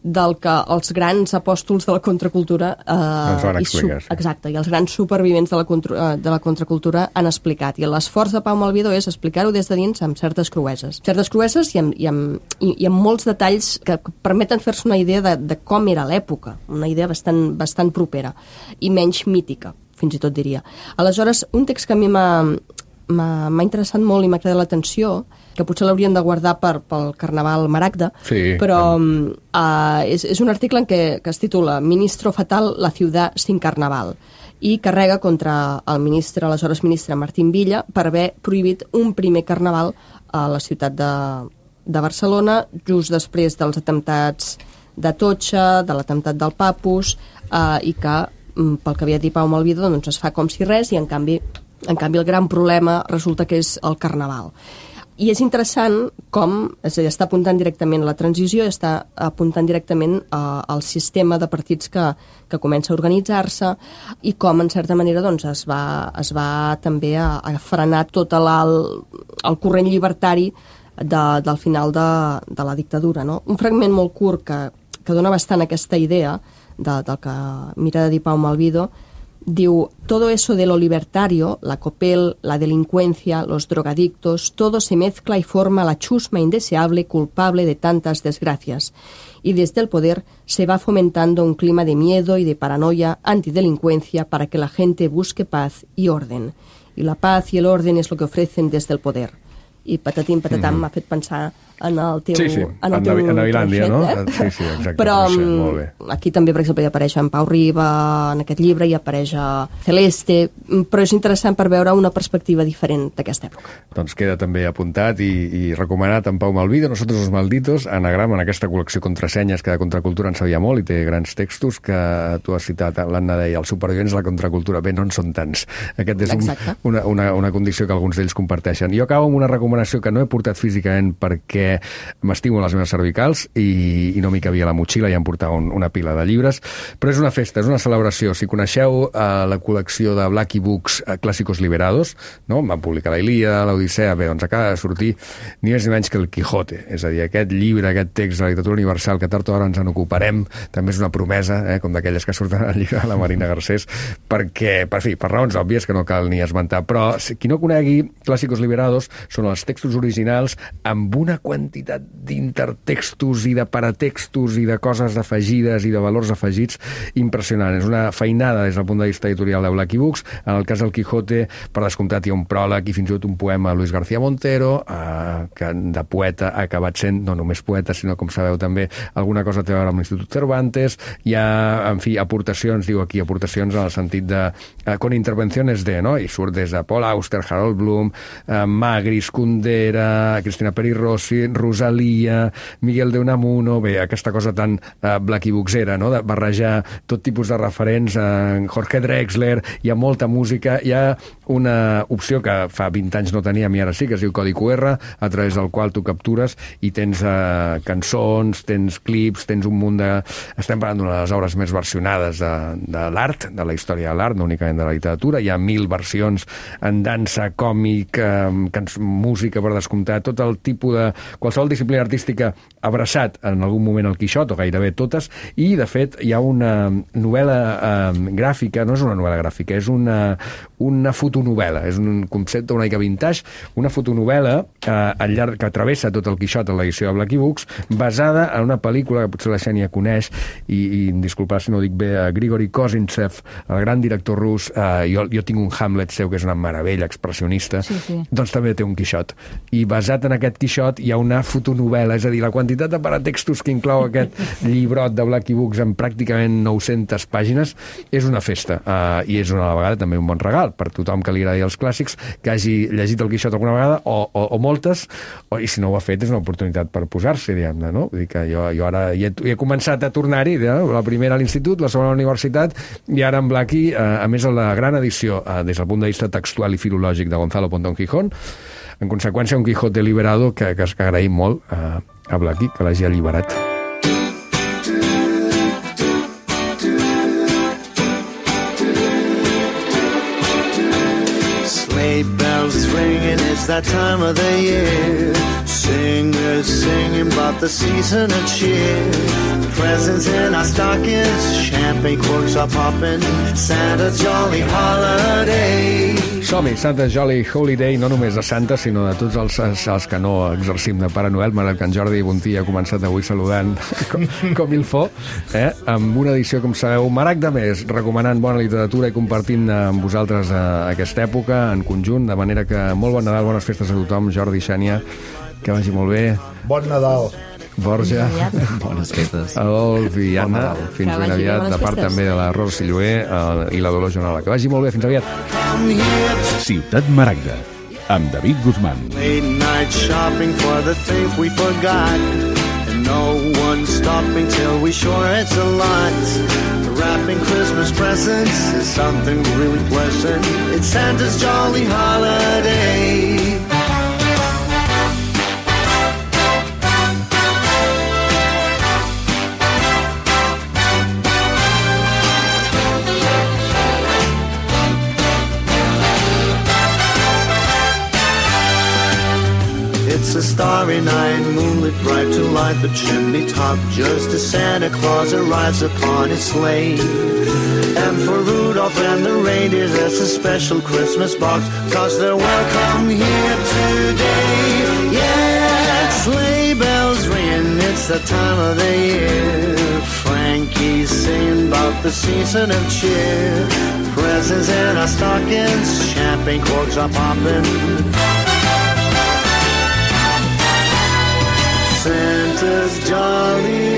del que els grans apòstols de la contracultura eh, ens van explicar, i su- exacte, i els grans supervivents de la, contra, de la contracultura han explicat. I l'esforç de Pau Malvido és explicar-ho des de dins amb certes crueses. Certes crueses i amb, i amb, i, i amb molts detalls que permeten fer-se una idea de, de com era l'època, una idea bastant, bastant propera i menys mítica, fins i tot diria. Aleshores, un text que a mi m'ha m'ha interessat molt i m'ha cridat l'atenció, que potser l'haurien de guardar per, pel Carnaval Maragda, sí, però uh, és, és un article en què, que es titula Ministro fatal, la ciudad sin carnaval, i carrega contra el ministre, aleshores ministre Martín Villa, per haver prohibit un primer carnaval a la ciutat de, de Barcelona, just després dels atemptats d'Atocha, de l'atemptat del Papus, uh, i que, pel que havia dit Pau Malvido, doncs es fa com si res, i en canvi En canvi, el gran problema resulta que és el Carnaval. I és interessant com, és a dir, està apuntant directament a la transició, està apuntant directament uh, al sistema de partits que, que comença a organitzar-se i com, en certa manera, doncs, es va, es va també a, a frenar tot el, el corrent llibertari de, del final de, de la dictadura. No? Un fragment molt curt que, que dona bastant aquesta idea de, del que mira de dir Pau Malvido. Diu, todo eso de lo libertario, la copel, la delincuencia, los drogadictos, todo se mezcla y forma la chusma indeseable culpable de tantas desgracias. Y desde el poder se va fomentando un clima de miedo y de paranoia, antidelincuencia, para que la gente busque paz y orden. Y la paz y el orden es lo que ofrecen desde el poder. I patatim, patatam, mm-hmm. m'ha fet pensar en el teu... Sí, sí, en, el teu en Navilàndia, no? Eh? Sí, sí, exacte. Però sí, molt bé. Aquí també, per exemple, hi apareix en Pau Riba en aquest llibre, hi apareix a Celeste, però és interessant per veure una perspectiva diferent d'aquesta època. Doncs queda també apuntat i, i recomanat en Pau Malvido, Nosotros los Malditos, Anagrama, en aquesta col·lecció contrasenyes que de contracultura en sabia molt i té grans textos que tu has citat, l'Anna deia, els supervivents de la contracultura. Bé, no en són tants. Aquest és un, una, una, una condició que alguns d'ells comparteixen. Jo acabo amb una recomanació que no he portat físicament perquè m'estimo les meves cervicals i, i no m'hi cabia la motxilla i em portava un, una pila de llibres, però és una festa, és una celebració. Si coneixeu eh, la col·lecció de Blackie Books eh, Clàssicos Liberados, no? Van publicar la Ilíada, l'Odissea, bé, doncs acaba de sortir ni més ni menys que el Quijote, és a dir, aquest llibre, aquest text de la literatura universal que tard o d'hora ens en ocuparem, també és una promesa, eh, com d'aquelles que surten al llibre de la Marina Garcés, perquè, per fi, per raons òbvies que no cal ni esmentar, però qui no conegui Clàssicos Liberados són els textos originals amb una quantitat quantitat d'intertextos i de paratextos i de coses afegides i de valors afegits impressionant. És una feinada des del punt de vista editorial de Blackie Books. En el cas del Quijote, per descomptat, hi ha un pròleg i fins i tot un poema a Luis García Montero, eh, que de poeta ha acabat sent no només poeta, sinó, com sabeu, també alguna cosa té a veure amb l'Institut Cervantes. Hi ha, en fi, aportacions, diu aquí, aportacions en el sentit de eh, con intervenciones de, no? I surt des de Paul Auster, Harold Bloom, eh, Magris, Kundera, Cristina Peri Rossi, Rosalia, Miguel de Unamuno, bé, aquesta cosa tan eh, Blackie Booksera, no? De barrejar tot tipus de referents, eh, Jorge Drexler, hi ha molta música, hi ha una opció que fa vint anys no teníem i ara sí, que es diu Codi Q R, a través del qual tu captures i tens eh, cançons, tens clips, tens un munt de... Estem parlant d'una de les obres més versionades de, de l'art, de la història de l'art, no únicament de la literatura. Hi ha mil versions en dansa, còmic, eh, música, per descomptar, tot el tipus de... qualsevol disciplina artística abraçat en algun moment al Quixot, o gairebé totes, i, de fet, hi ha una novel·la eh, gràfica, no és una novel·la gràfica, és una, una fotonovel·la, és un concepte una mica vintage, una fotonovel·la eh, al llarg que travessa tot el Quixot en l'edició de Blackie Books, basada en una pel·lícula que potser la Xènia coneix, i, i disculpar si no ho dic bé, a Grigori Kozintsev, el gran director rus, eh, jo, jo tinc un Hamlet seu que és una meravella expressionista, sí, sí. Doncs també té un Quixot. I basat en aquest Quixot hi ha una fotonovel·la, és a dir, la quantitat de paratextos que inclou aquest llibrot de Blackie Books en pràcticament nou-centes pàgines és una festa, uh, i és una vegada també un bon regal per tothom que li agradi els clàssics, que hagi llegit el Quixot alguna vegada, o, o, o moltes, o, i si no ho ha fet és una oportunitat per posar-se, diguem-ne, no? Vull dir que jo, jo ara hi he, hi he començat a tornar-hi, no? La primera a l'institut, la segona a la universitat, i ara en Blackie, uh, a més a la gran edició, uh, des del punt de vista textual i filològic de Gonzalo Pontón Gijón, en conseqüència un Quijote liberado que, que, que agraïm molt a, a Blackie que l'hagi alliberat. Sleigh bells ringing, it's that time of the year. Singers singing about the season of cheer. Presents in our stockings, champagne corks are popping, Santa's jolly holiday. Som-hi, Santa's Jolly Holiday, no només de Santa, sinó de tots els, els que no exercim de Pare Noel, malgrat que en Jordi Bontí ha començat avui saludant com, com il faut, eh? Amb una edició, com sabeu, marac de més, recomanant bona literatura i compartint amb vosaltres eh, aquesta època en conjunt, de manera que molt bon Nadal, bones festes a tothom, Jordi, Xènia, que vagi molt bé. Bon Nadal. Borja, bones festes. Adolf i Anna, fins ben aviat, de part també de la Rosa Silloé uh, i la Dolors Joanola. Que vagi molt bé, fins aviat. Ciutat Maragda, amb David Guzmán. Late night shopping for the things we forgot, and no one stopping till we sure it's a lot. Wrapping Christmas presents is something really pleasant. It's Santa's jolly holiday. It's a starry night, moonlit bright to light the chimney top, just as Santa Claus arrives upon his sleigh. And for Rudolph and the reindeer there's a special Christmas box, cause they're welcome here today. Yeah, sleigh bells ringing, it's the time of the year. Frankie's singing about the season of cheer. Presents in our stockings, champagne corks are popping. Santa's jolly